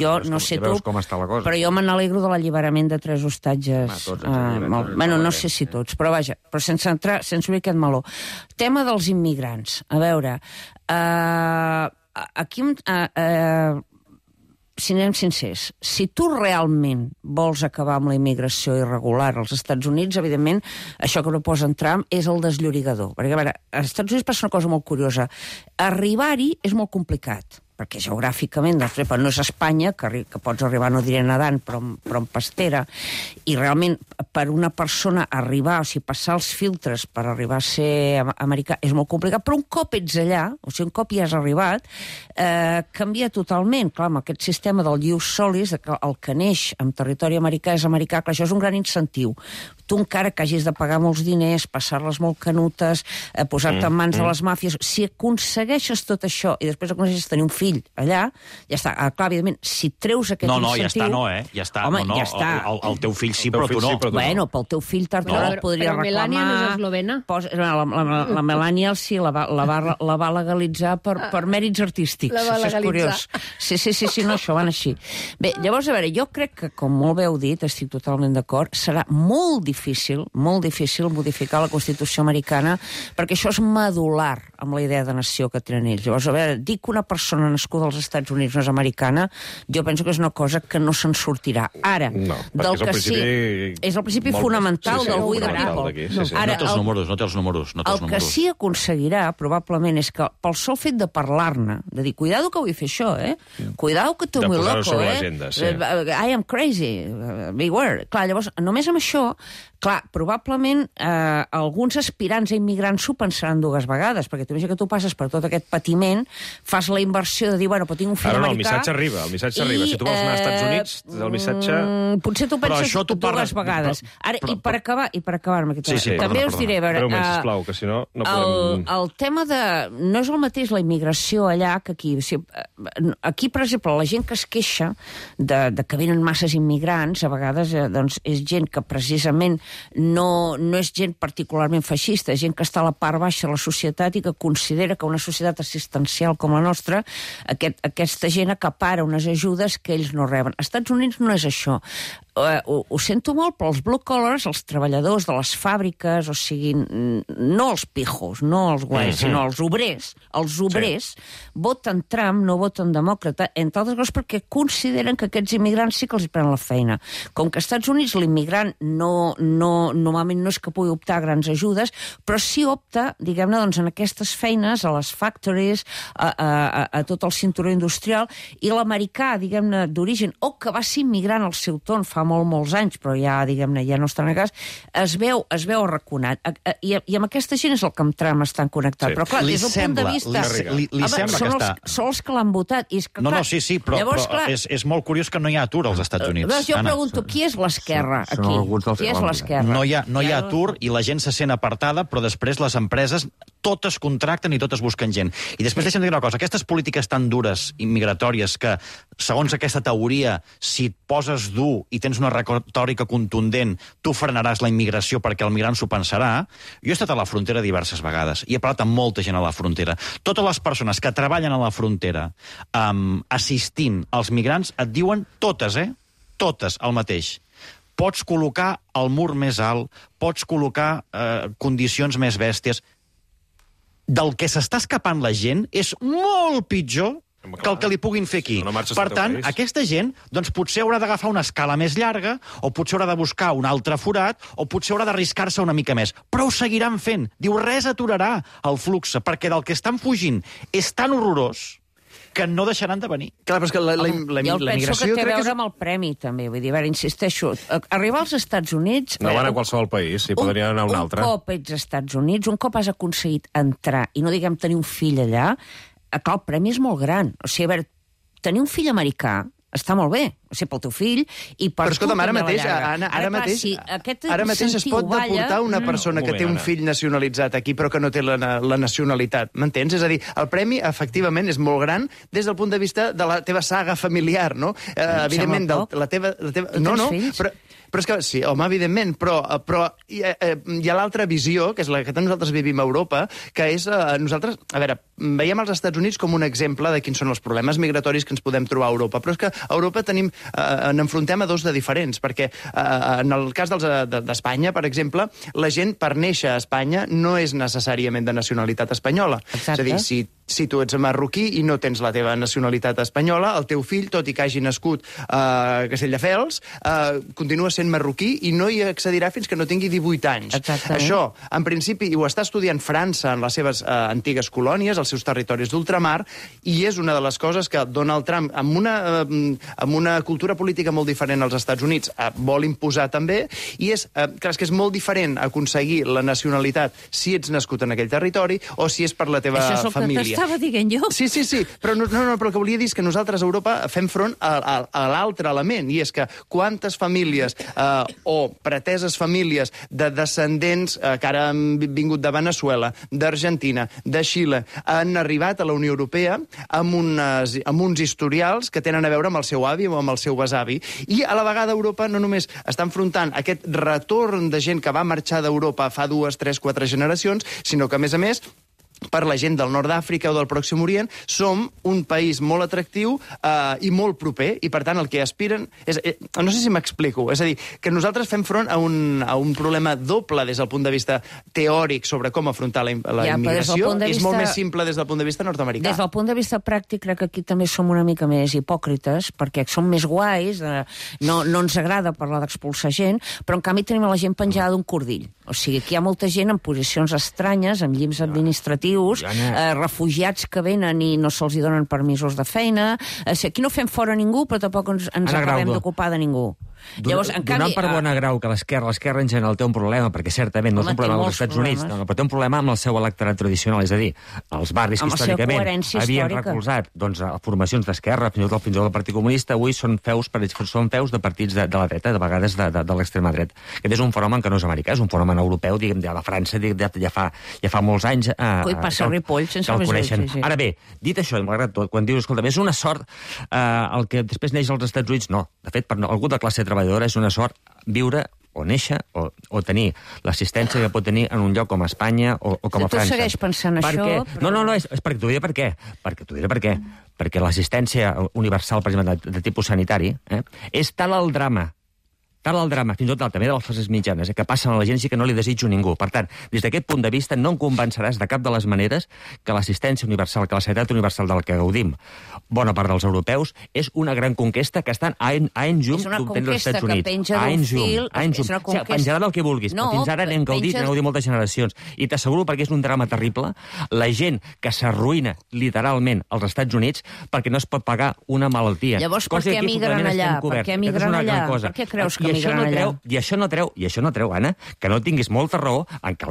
jo no sé tu, però jo me n'alegro de l'alliberament de tres hostatges. Bueno, no sé si tots, però vaja, però sense entrar, sense obrir aquest meló. Tema dels immigrants. A veure, aquí... Si anem sincers, si tu realment vols acabar amb la immigració irregular als Estats Units, evidentment, això que proposa en Trump és el desllorigador. Perquè, a veure, als Estats Units passa una cosa molt curiosa. Arribar-hi és molt complicat, perquè geogràficament, doncs, però no és Espanya, que, que pots arribar, no diré nedant, però, però en pastera, i realment per una persona arribar, o sigui, passar els filtres per arribar a ser americà és molt complicat, però un cop ets allà, o sigui, un cop hi has arribat, eh, canvia totalment. Clar, amb aquest sistema del ius solis, que el que neix en territori americà és americà, clar, això és un gran incentiu. Tu encara que hagis de pagar molts diners, passar-les molt canutes, eh, posar-te en mans de les màfies, si aconsegueixes tot això i després aconsegueixes tenir un fill allà, ja està. Ah, clar, evidentment, si treus aquest no, no, incentiu... Ja està, no, eh? Ja està. Home, no, no, ja està. El, el teu fill sí, però tu no. Sí, bueno, pel teu fill tard o d'hora et podria però reclamar... Melania no és eslovena? Posa, la, la, la, la Melania sí, la va, la va, la va legalitzar per, per mèrits artístics. La va això és curiós. Sí, sí, sí, sí, no, això van així. Bé, llavors, a veure, jo crec que, com molt bé heu dit, estic totalment d'acord, serà molt difícil, molt difícil modificar la Constitució americana, perquè això és medular amb la idea de nació que tenen ells. Llavors, a veure, dir que una persona nascuda als Estats Units no és americana, jo penso que és una cosa que no se'n sortirà. Ara, no, del que sí... És el principi fonamental sí, sí, del We the People. Sí, sí. Ara, no té els números, no té els números. No té els el números. que sí aconseguirà, probablement, és que pel sol fet de parlar-ne, de dir, cuidado que vull fer això, eh? Cuidado que tu muy loco, eh? Sí. I am crazy. Beware. Clar, llavors, només amb això, clar, probablement eh, alguns aspirants a immigrants s'ho pensaran dues vegades, perquè tu que tu passes per tot aquest patiment, fas la inversió de dir, bueno, però tinc un fill Ara no, americà... el missatge arriba, el missatge i, arriba. Si tu vols anar als Estats eh, Units, el missatge... Potser tu penses tu dues parles... vegades. Ara, però, i per acabar, i per acabar amb aquest sí, sí, també perdona, us diré, a veure... Però, Uh, sisplau, que si no, no el, podem... el tema de... No és el mateix la immigració allà que aquí. O sigui, aquí, per exemple, la gent que es queixa de, de que venen masses immigrants, a vegades eh, doncs, és gent que precisament no, no és gent particularment feixista, és gent que està a la part baixa de la societat i que considera que una societat assistencial com la nostra, aquest, aquesta gent acapara unes ajudes que ells no reben. Als Estats Units no és això. Uh, ho, ho sento molt, però els blue collars, els treballadors de les fàbriques, o sigui, no els pijos, no els guais, mm-hmm. sinó els obrers, els obrers sí. voten Trump, no voten demòcrata, entre altres coses perquè consideren que aquests immigrants sí que els prenen la feina. Com que als Estats Units l'immigrant no, no, normalment no és que pugui optar a grans ajudes, però sí opta, diguem-ne, doncs, en aquestes feines, a les factories, a, a, a, a tot el cinturó industrial, i l'americà, diguem-ne, d'origen, o que va ser immigrant al seu torn fa molt, molts anys, però ja, diguem-ne, ja no està en el cas, es veu, es veu arraconat. I, i amb aquesta gent és el que amb Trump estan connectats. Sí. Però, clar, li des del sembla, punt de vista... Li, li, li veure, sembla són que els, està... són els que l'han votat. I és que, no, clar, no, sí, sí, però, llavors, però clar, és, és molt curiós que no hi ha atur als Estats Units. Doncs jo Anna. pregunto, qui és l'esquerra aquí? Qui és l'esquerra? No hi ha, no hi ha atur i la gent se sent apartada, però després les empreses totes contracten i totes busquen gent. I després deixa'm dir una cosa, aquestes polítiques tan dures i migratòries que, segons aquesta teoria, si et poses dur i tens una retòrica contundent, tu frenaràs la immigració perquè el migrant s'ho pensarà. Jo he estat a la frontera diverses vegades i he parlat amb molta gent a la frontera. Totes les persones que treballen a la frontera um, assistint als migrants et diuen totes, eh? Totes el mateix. Pots col·locar el mur més alt, pots col·locar eh, condicions més bèsties. Del que s'està escapant la gent és molt pitjor que el que li puguin fer aquí. No per tant, aquesta gent doncs, potser haurà d'agafar una escala més llarga, o potser haurà de buscar un altre forat, o potser haurà d'arriscar-se una mica més. Però ho seguiran fent. Diu, res aturarà el flux, perquè del que estan fugint és tan horrorós que no deixaran de venir. Clar, però és que la, la, la, la, jo la penso migració... que té a veure és... amb el premi, també. Vull dir, a veure, insisteixo, arribar als Estats Units... No van a qualsevol país, si podrien anar a un altre. Un cop ets als Estats Units, un cop has aconseguit entrar, i no diguem tenir un fill allà, clar, el premi és molt gran. O sigui, a veure, tenir un fill americà està molt bé, o sigui, pel teu fill i per però escolta'm, ara mateix, Anna, ara, ara mateix, si ara mateix es pot deportar una persona que té un fill nacionalitzat aquí però que no té la, la nacionalitat, m'entens? És a dir, el premi, efectivament, és molt gran des del punt de vista de la teva saga familiar, no? Eh, evidentment, del, la teva... La teva... No, no, però, però és que, sí, home, evidentment, però, però hi, eh, hi ha l'altra visió, que és la que nosaltres vivim a Europa, que és, eh, nosaltres, a veure, veiem els Estats Units com un exemple de quins són els problemes migratoris que ens podem trobar a Europa, però és que a Europa tenim, eh, n'enfrontem a dos de diferents, perquè eh, en el cas dels, de, d'Espanya, per exemple, la gent per néixer a Espanya no és necessàriament de nacionalitat espanyola. Exacte. És a dir, si si tu ets marroquí i no tens la teva nacionalitat espanyola, el teu fill, tot i que hagi nascut a Castelldefels, eh, continua sent marroquí i no hi accedirà fins que no tingui divuit anys. Exactament. Això, en principi, ho està estudiant França en les seves eh, antigues colònies, els seus territoris d'ultramar, i és una de les coses que Donald Trump, amb una, eh, amb una cultura política molt diferent als Estats Units, eh, vol imposar també, i és, eh, clar, és que és molt diferent aconseguir la nacionalitat si ets nascut en aquell territori o si és per la teva família. Això és el família. que t'estava dient jo. Sí, sí, sí, però, no, no, no, però el que volia dir és que nosaltres a Europa fem front a, a, a l'altre element, i és que quantes famílies eh, o preteses famílies de descendents eh, que ara han vingut de Venezuela, d'Argentina, de Xile, han arribat a la Unió Europea amb, unes, amb uns historials que tenen a veure amb el seu avi o amb el seu besavi. I a la vegada Europa no només està enfrontant aquest retorn de gent que va marxar d'Europa fa dues, tres, quatre generacions, sinó que, a més a més, per la gent del nord d'Àfrica o del Pròxim Orient, som un país molt atractiu eh, i molt proper, i per tant el que aspiren és... Eh, no sé si m'explico, és a dir, que nosaltres fem front a un, a un problema doble des del punt de vista teòric sobre com afrontar la, la ja, immigració, de és vista, molt més simple des del punt de vista nord-americà. Des del punt de vista pràctic, crec que aquí també som una mica més hipòcrites, perquè som més guais, eh, no, no ens agrada parlar d'expulsar gent, però en canvi tenim la gent penjada d'un cordill. O sigui, aquí hi ha molta gent en posicions estranyes, amb llims administratius, eh, refugiats que venen i no se'ls donen permisos de feina. Eh, si aquí no fem fora ningú, però tampoc ens, ens acabem d'ocupar de ningú. Llavors, en canvi, donant per bona grau que l'esquerra l'esquerra en general té un problema, perquè certament no és un problema dels Estats Units, no, no, però té un problema amb el seu electorat tradicional, és a dir, els barris que històricament havien recolzat doncs, formacions d'esquerra, fins i tot fins i tot el Partit Comunista, avui són feus, són feus de partits de, de la dreta, de vegades de, de, de l'extrema dreta. Aquest és un fenomen que no és americà, és un fenomen europeu, diguem, de la França, diguem, ja, fa, ja fa molts anys eh, Ui, passa que, Ripoll, sense que el coneixen. Sí, sí. Ara bé, dit això, malgrat tot, quan dius, escolta, és una sort eh, el que després neix als Estats Units, no. De fet, per algú de classe treballadora és una sort viure o néixer o, o tenir l'assistència que pot tenir en un lloc com a Espanya o, o com a tu França. Tu segueix pensant perquè... això, però... No, no, no, és, és perquè t'ho diré per què. Perquè t'ho diré per què. Perquè l'assistència universal, per exemple, de, de tipus sanitari, eh, és tal el drama tal el drama, fins i tot també de les classes mitjanes, eh, que passen a la gent, sí que no li desitjo ningú. Per tant, des d'aquest punt de vista, no em convenceràs de cap de les maneres que l'assistència universal, que la sanitat universal del que gaudim, bona part dels europeus, és una gran conquesta que estan a en, a en llum d'obtenir els Estats Units. És una conquesta que penja d'un fil... A en llum. O sigui, penjarà del que vulguis, no, però fins ara n'hem gaudit, n'hem gaudit moltes generacions. I t'asseguro, perquè és un drama terrible, la gent que s'arruïna literalment als Estats Units perquè no es pot pagar una malaltia. Llavors, per què emigren allà? Per què emigren allà? Per què creus que emigren allà. Treu, I això no treu, i això no treu, Anna, que no tinguis molta raó, en què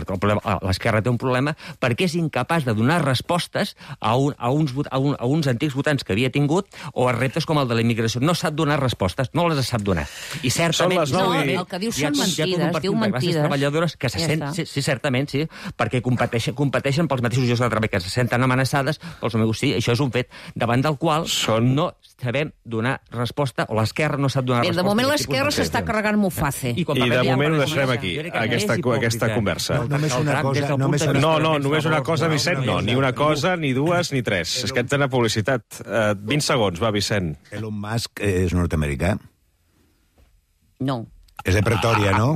l'esquerra té un problema, perquè és incapaç de donar respostes a, un, a, uns, a, un, a uns antics votants que havia tingut o a reptes com el de la immigració. No sap donar respostes, no les sap donar. I certament... No, el que diu són mentides, diu mentides. Treballadores que se ja sent, sí, sí, certament, sí, perquè competeixen, competeixen pels mateixos llocs de treball, que se senten amenaçades pels meus, sí, això és un fet davant del qual són... no sabem donar resposta, o l'esquerra no sap donar Bé, resposta. De moment l'esquerra s'està carregant Muface. I, I de moment ho deixarem aquí, aquesta, aquesta conversa. No, només una cosa, només una... No, no, només una cosa, Vicent, no, ni una cosa, ni dues, ni tres. És que entrem a publicitat. Uh, vint segons, va, Vicent. Elon Musk és nord-americà? No. És de Pretòria, no?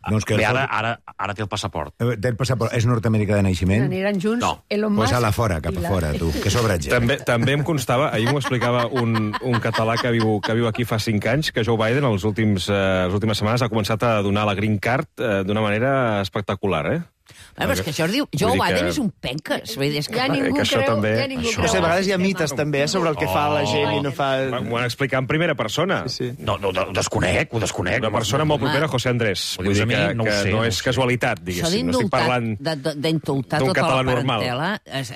No, és que Bé, ara, ara, ara té el passaport. Té el passaport. És nord-americà de naixement? Aniran junts no. Elon Musk... Pues a la fora, cap a fora, tu, que sobratge. També, també em constava, ahir m'ho explicava un, un català que viu, que viu aquí fa cinc anys, que Joe Biden, els últims, eh, les últimes setmanes, ha començat a donar la green card eh, d'una manera espectacular, eh? Però és que això es diu... Joe Biden és un penques. És que ja ningú que creu... també... Ja ningú creu. No sé, a vegades hi ha mites també eh, sobre el que oh, fa la gent i no fa... M'ho han explicat en primera persona. Sí, sí. No, no, ho desconec, ho desconec. Una persona molt propera, José Andrés. Vull dir que, no, que sé, no és casualitat, diguéssim. No estic parlant d'indultar tota la parentela.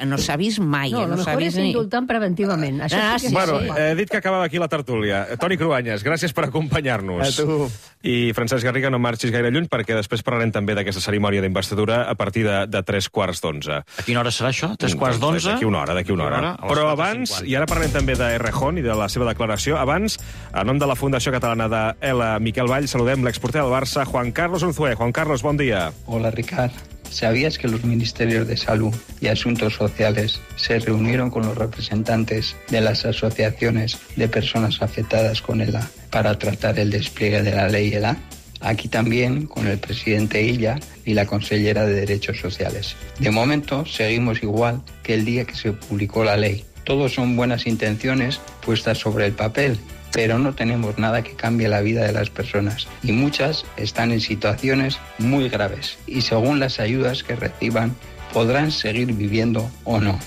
No s'ha vist mai. No, no el millor és indultant preventivament. Això ah, sí, sí, bueno, sí. he dit que acabava aquí la tertúlia. Toni Cruanyes, gràcies per acompanyar-nos. A tu. I Francesc Garriga, no marxis gaire lluny, perquè després parlarem també d'aquesta cerimònia d'investidura a partir de, de tres quarts d'onze. A quina hora serà això? Tres quarts d'onze? D'aquí una hora, d'aquí una hora. Però abans, i ara parlem també de Errejón i de la seva declaració, abans, a nom de la Fundació Catalana de Ela Miquel Vall, saludem l'exporter del Barça, Juan Carlos Unzué. Juan Carlos, bon dia. Hola, Ricard. ¿Sabías que los ministerios de Salud y Asuntos Sociales se reunieron con los representantes de las asociaciones de personas afectadas con E L A para tratar el despliegue de la ley E L A? Aquí también con el presidente Illa y la consellera de Derechos Sociales. De momento seguimos igual que el día que se publicó la ley. Todos son buenas intenciones puestas sobre el papel, pero no tenemos nada que cambie la vida de las personas y muchas están en situaciones muy graves y según las ayudas que reciban podrán seguir viviendo o no.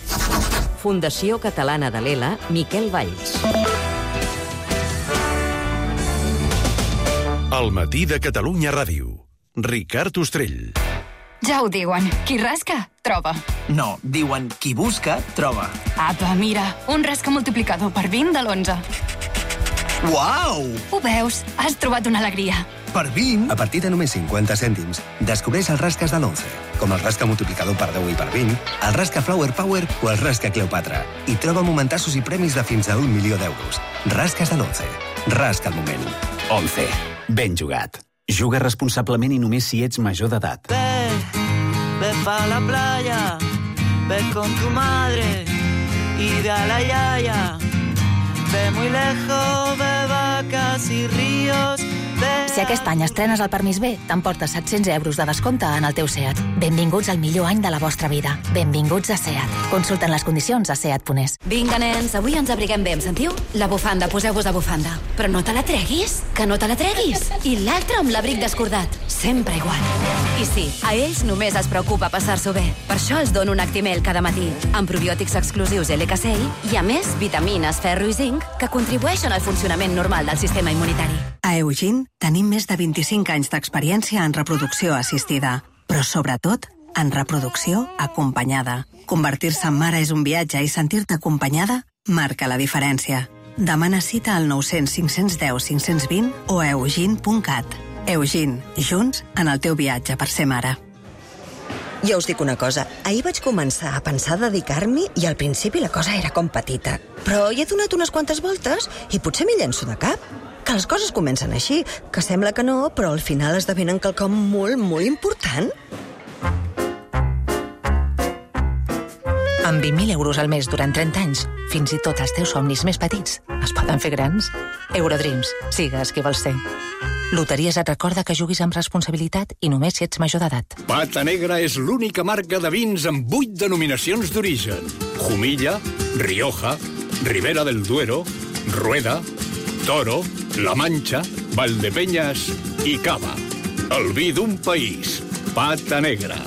Fundació Catalana de l'E L A, Miquel Valls. El matí de Catalunya Ràdio. Ricard Ostrell. Ja ho diuen, qui rasca, troba. No, diuen qui busca, troba. Apa, mira, un rasca multiplicador per vint de l'onze. Uau! Ho veus? Has trobat una alegria. Per vint? A partir de només cinquanta cèntims, descobreix els rasques de l'onze, com el rasca multiplicador per deu i per vint, el rasca Flower Power o el rasca Cleopatra. I troba momentassos i premis de fins a un milió d'euros. Rasques de l'onze. Rasca el moment. once. Ben jugat. Juga responsablement i només si ets major d'edat. Ve, ve pa la playa, ve con tu madre y ve a la yaya. Ve muy lejos, ve vacas y ríos. Si aquest any estrenes el permís B, t'emportes set-cents euros de descompte en el teu SEAT. Benvinguts al millor any de la vostra vida. Benvinguts a SEAT. Consulten les condicions a seat punt es. Vinga, nens, avui ens abriguem bé, em sentiu? La bufanda, poseu-vos a bufanda. Però no te la treguis, que no te la treguis. I l'altre amb l'abric descordat. Sempre igual. I sí, a ells només es preocupa passar-s'ho bé. Per això els dono un Actimel cada matí, amb probiòtics exclusius L K C I i, a més, vitamines, ferro i zinc que contribueixen al funcionament normal del sistema immunitari. A Eugene tenim més de vint-i-cinc anys d'experiència en reproducció assistida, però sobretot en reproducció acompanyada. Convertir-se en mare és un viatge i sentir-te acompanyada marca la diferència. Demana cita al nou cents cinc cents deu cinc cents vint o a eugene punt cat. Eugene, junts en el teu viatge per ser mare. Jo us dic una cosa, ahir vaig començar a pensar dedicar-m'hi i al principi la cosa era com petita. Però hi he donat unes quantes voltes i potser m'hi llenço de cap. Que les coses comencen així, que sembla que no, però al final esdevenen quelcom molt, molt important. Amb vint mil euros al mes durant trenta anys, fins i tot els teus somnis més petits es poden fer grans. Eurodreams, sigues qui vols ser. Loteries et recorda que juguis amb responsabilitat i només si ets major d'edat. Pata Negra és l'única marca de vins amb vuit denominacions d'origen. Jumilla, Rioja, Ribera del Duero, Rueda, Toro, La Mancha, Valdepeñas i Cava. El vi d'un país. Pata Negra.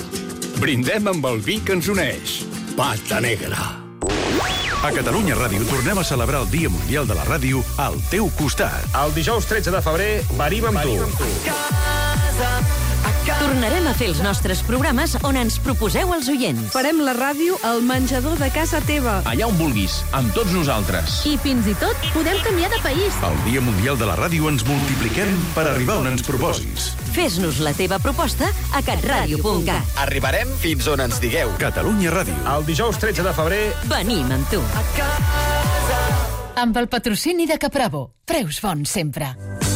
Brindem amb el vi que ens uneix. Pata Negra. A Catalunya Ràdio tornem a celebrar el Dia Mundial de la Ràdio al teu costat. El dijous tretze de febrer venim amb tu. Tornarem a fer els nostres programes on ens proposeu els oients. Farem la ràdio al menjador de casa teva. Allà on vulguis, amb tots nosaltres. I fins i tot podem canviar de país. El Dia Mundial de la Ràdio ens multipliquem per arribar on ens proposis. Fes-nos la teva proposta a catradio punt cat. Arribarem fins on ens digueu. Catalunya Ràdio. El dijous tretze de febrer venim amb tu. Amb el patrocini de Capravo. Preus bons sempre.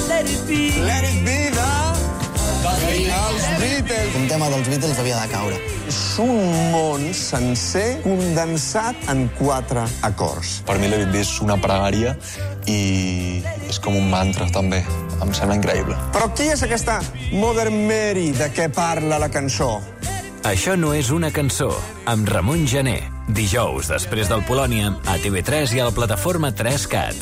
Let it be. Let it be now. Els Beatles. Un tema dels Beatles havia de caure. És un món sencer condensat en quatre acords. Per mi Let It Be és una pregària i és com un mantra, també. Em sembla increïble. Però qui és aquesta Modern Mary de què parla la cançó? Això no és una cançó, amb Ramon Gené. Dijous, després del Polònia, a T V tres i a la plataforma tres cat.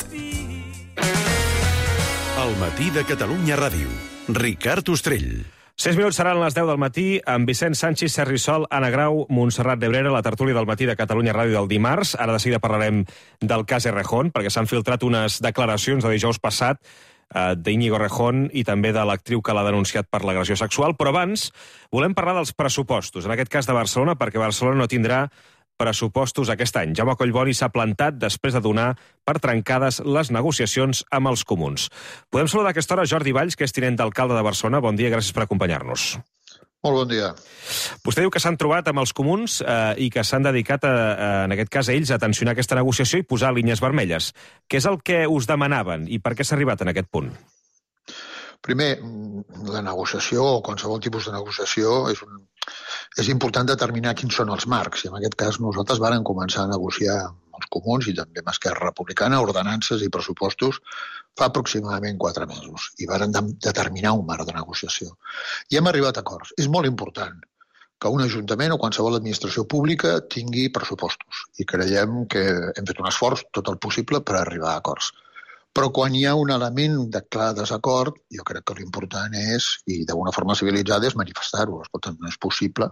El matí de Catalunya Ràdio. Ricard Ostrell. Sis minuts seran les deu del matí amb Vicent Sanchis, Sergi Sol, Anna Grau, Montserrat Nebrera, la tertúlia del matí de Catalunya Ràdio del dimarts. Ara de seguida parlarem del cas Errejón, perquè s'han filtrat unes declaracions de dijous passat eh, d'Íñigo Errejón i també de l'actriu que l'ha denunciat per l'agressió sexual. Però abans volem parlar dels pressupostos, en aquest cas de Barcelona, perquè Barcelona no tindrà pressupostos aquest any. Jaume Collboni s'ha plantat després de donar per trencades les negociacions amb els comuns. Podem saludar a aquesta hora Jordi Valls, que és tinent d'alcalde de Barcelona. Bon dia, gràcies per acompanyar-nos. Molt bon dia. Vostè diu que s'han trobat amb els comuns eh, i que s'han dedicat, a, a, en aquest cas, a ells a tensionar aquesta negociació i posar línies vermelles. Què és el que us demanaven i per què s'ha arribat en aquest punt? Primer, la negociació o qualsevol tipus de negociació és, un, és important determinar quins són els marcs. I en aquest cas nosaltres vàrem començar a negociar amb els comuns i també amb Esquerra Republicana ordenances i pressupostos fa aproximadament quatre mesos. I vàrem de, determinar un marc de negociació. I hem arribat a acords. És molt important que un ajuntament o qualsevol administració pública tingui pressupostos. I creiem que hem fet un esforç tot el possible per arribar a acords. Però quan hi ha un element de clar desacord, jo crec que l'important és, i d'una forma civilitzada, és manifestar-ho. Escolta, no és possible,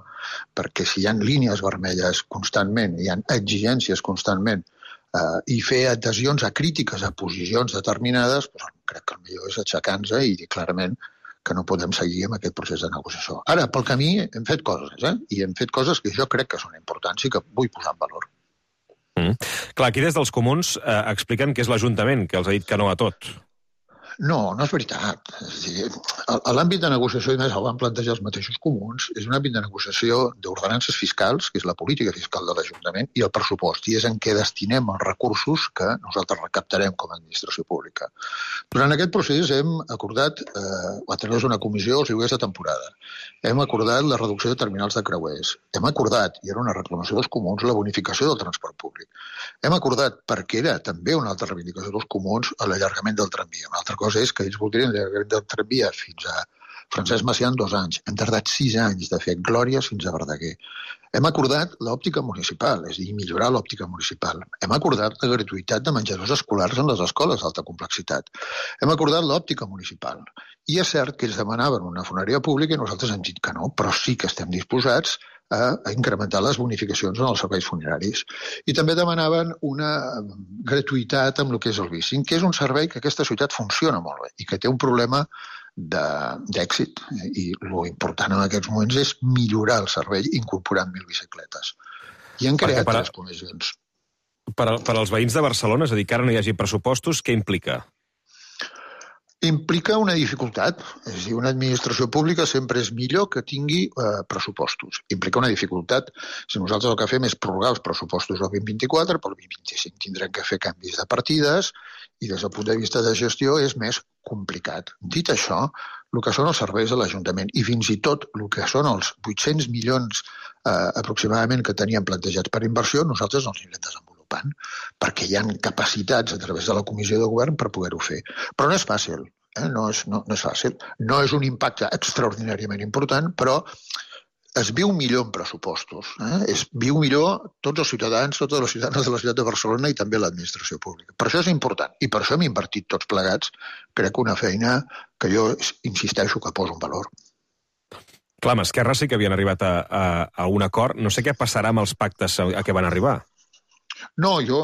perquè si hi ha línies vermelles constantment, hi ha exigències constantment, eh, i fer adhesions a crítiques a posicions determinades, doncs, crec que el millor és aixecar-nos i dir clarament que no podem seguir amb aquest procés de negociació. Ara, pel camí hem fet coses, eh? I hem fet coses que jo crec que són importants i que vull posar en valor. Mm. Clar, aquí des dels comuns eh, expliquen que és l'Ajuntament que els ha dit que no a tot. No, no és veritat. És a dir, l'àmbit de negociació, i més el van plantejar els mateixos comuns, és un àmbit de negociació d'ordenances fiscals, que és la política fiscal de l'Ajuntament, i el pressupost, i és en què destinem els recursos que nosaltres recaptarem com a administració pública. Durant aquest procés hem acordat, eh, a través d'una comissió, els lloguers de temporada. Hem acordat la reducció de terminals de creuers. Hem acordat, i era una reclamació dels comuns, la bonificació del transport públic. Hem acordat, perquè era també una altra reivindicació dels comuns, l'allargament del tramvia. Una altra cosa és que ells voldrien l'allargament del tramvia fins a Francesc Macià en dos anys. Hem tardat sis anys de fer Glòries fins a Verdaguer. Hem acordat l'òptica municipal, és a dir, millorar l'òptica municipal. Hem acordat la gratuïtat de menjadors escolars en les escoles d'alta complexitat. Hem acordat l'òptica municipal. I és cert que ells demanaven una funeraria pública i nosaltres hem dit que no, però sí que estem disposats a incrementar les bonificacions en els serveis funeraris. I també demanaven una gratuïtat amb el que és el bicing, que és un servei que aquesta ciutat funciona molt bé i que té un problema d'èxit. I l'important en aquests moments és millorar el servei incorporant mil bicicletes. I han creat per, les comissions. Per, per als veïns de Barcelona, és a dir, que ara no hi hagi pressupostos, què implica? Implica una dificultat. És a dir, una administració pública sempre és millor que tingui eh, pressupostos. Implica una dificultat. Si nosaltres el que fem és prorrogar els pressupostos del vint vint-i-quatre, pel vint vint-i-cinc tindrem que fer canvis de partides i des del punt de vista de gestió és més complicat. Dit això, el que són els serveis de l'Ajuntament i fins i tot el que són els vuit-cents milions eh, aproximadament que teníem plantejats per inversió, nosaltres els anirem desenvolupant perquè hi ha capacitats a través de la Comissió de Govern per poder-ho fer. Però no és fàcil. Eh? No, és, no, no és fàcil. No és un impacte extraordinàriament important, però es viu millor en pressupostos. Eh? Es viu millor tots els ciutadans, totes les ciutadanes de la ciutat de Barcelona i també l'administració pública. Per això és important. I per això hem invertit tots plegats, crec, una feina que jo insisteixo que poso en valor. Clar, amb Esquerra sí que havien arribat a, a, a un acord. No sé què passarà amb els pactes a, a què van arribar. No, jo,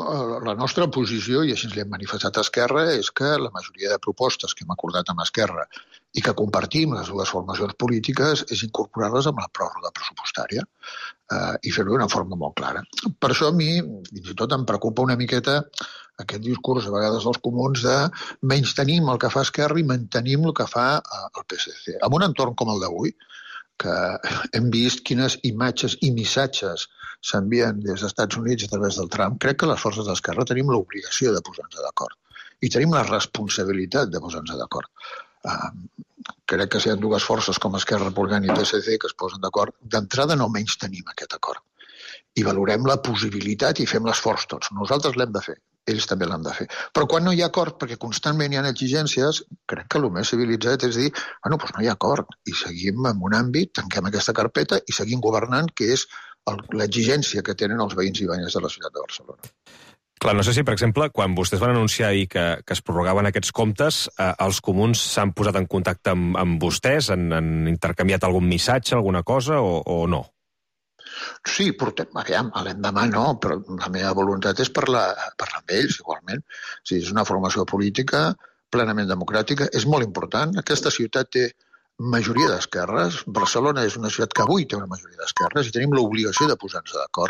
la nostra posició, i així ens l'hem manifestat a Esquerra, és que la majoria de propostes que hem acordat amb Esquerra i que compartim les dues formacions polítiques és incorporar-les amb la pròrroga pressupostària eh, i fer-ho d'una forma molt clara. Per això a mi, fins i tot, em preocupa una miqueta aquest discurs, a vegades, dels comuns de menys-tenim el que fa Esquerra i mantenim el que fa el P S C. En un entorn com el d'avui, que hem vist quines imatges i missatges s'envien des dels Estats Units a través del Trump, crec que les forces d'Esquerra tenim l'obligació de posar-nos d'acord. I tenim la responsabilitat de posar-nos d'acord. Uh, crec que si hi ha dues forces com Esquerra Republicana i P S C que es posen d'acord, d'entrada no menys tenim aquest acord. I valorem la possibilitat i fem l'esforç tots. Nosaltres l'hem de fer, ells també l'han de fer. Però quan no hi ha acord, perquè constantment hi ha exigències, crec que el més civilitzat és dir, bueno, doncs no hi ha acord, i seguim en un àmbit, tanquem aquesta carpeta i seguim governant, que és l'exigència que tenen els veïns i veïnes de la ciutat de Barcelona. Clar, no sé si, per exemple, quan vostès van anunciar ahir que, que es prorrogaven aquests comptes, eh, els comuns s'han posat en contacte amb, amb vostès, han, han intercanviat algun missatge, alguna cosa, o, o no? Sí, portem, aviam, l'endemà no, però la meva voluntat és parlar, parlar amb ells, igualment. O sigui, és una formació política plenament democràtica, és molt important. Aquesta ciutat té majoria d'esquerres. Barcelona és una ciutat que avui té una majoria d'esquerres i tenim l'obligació de posar-nos d'acord.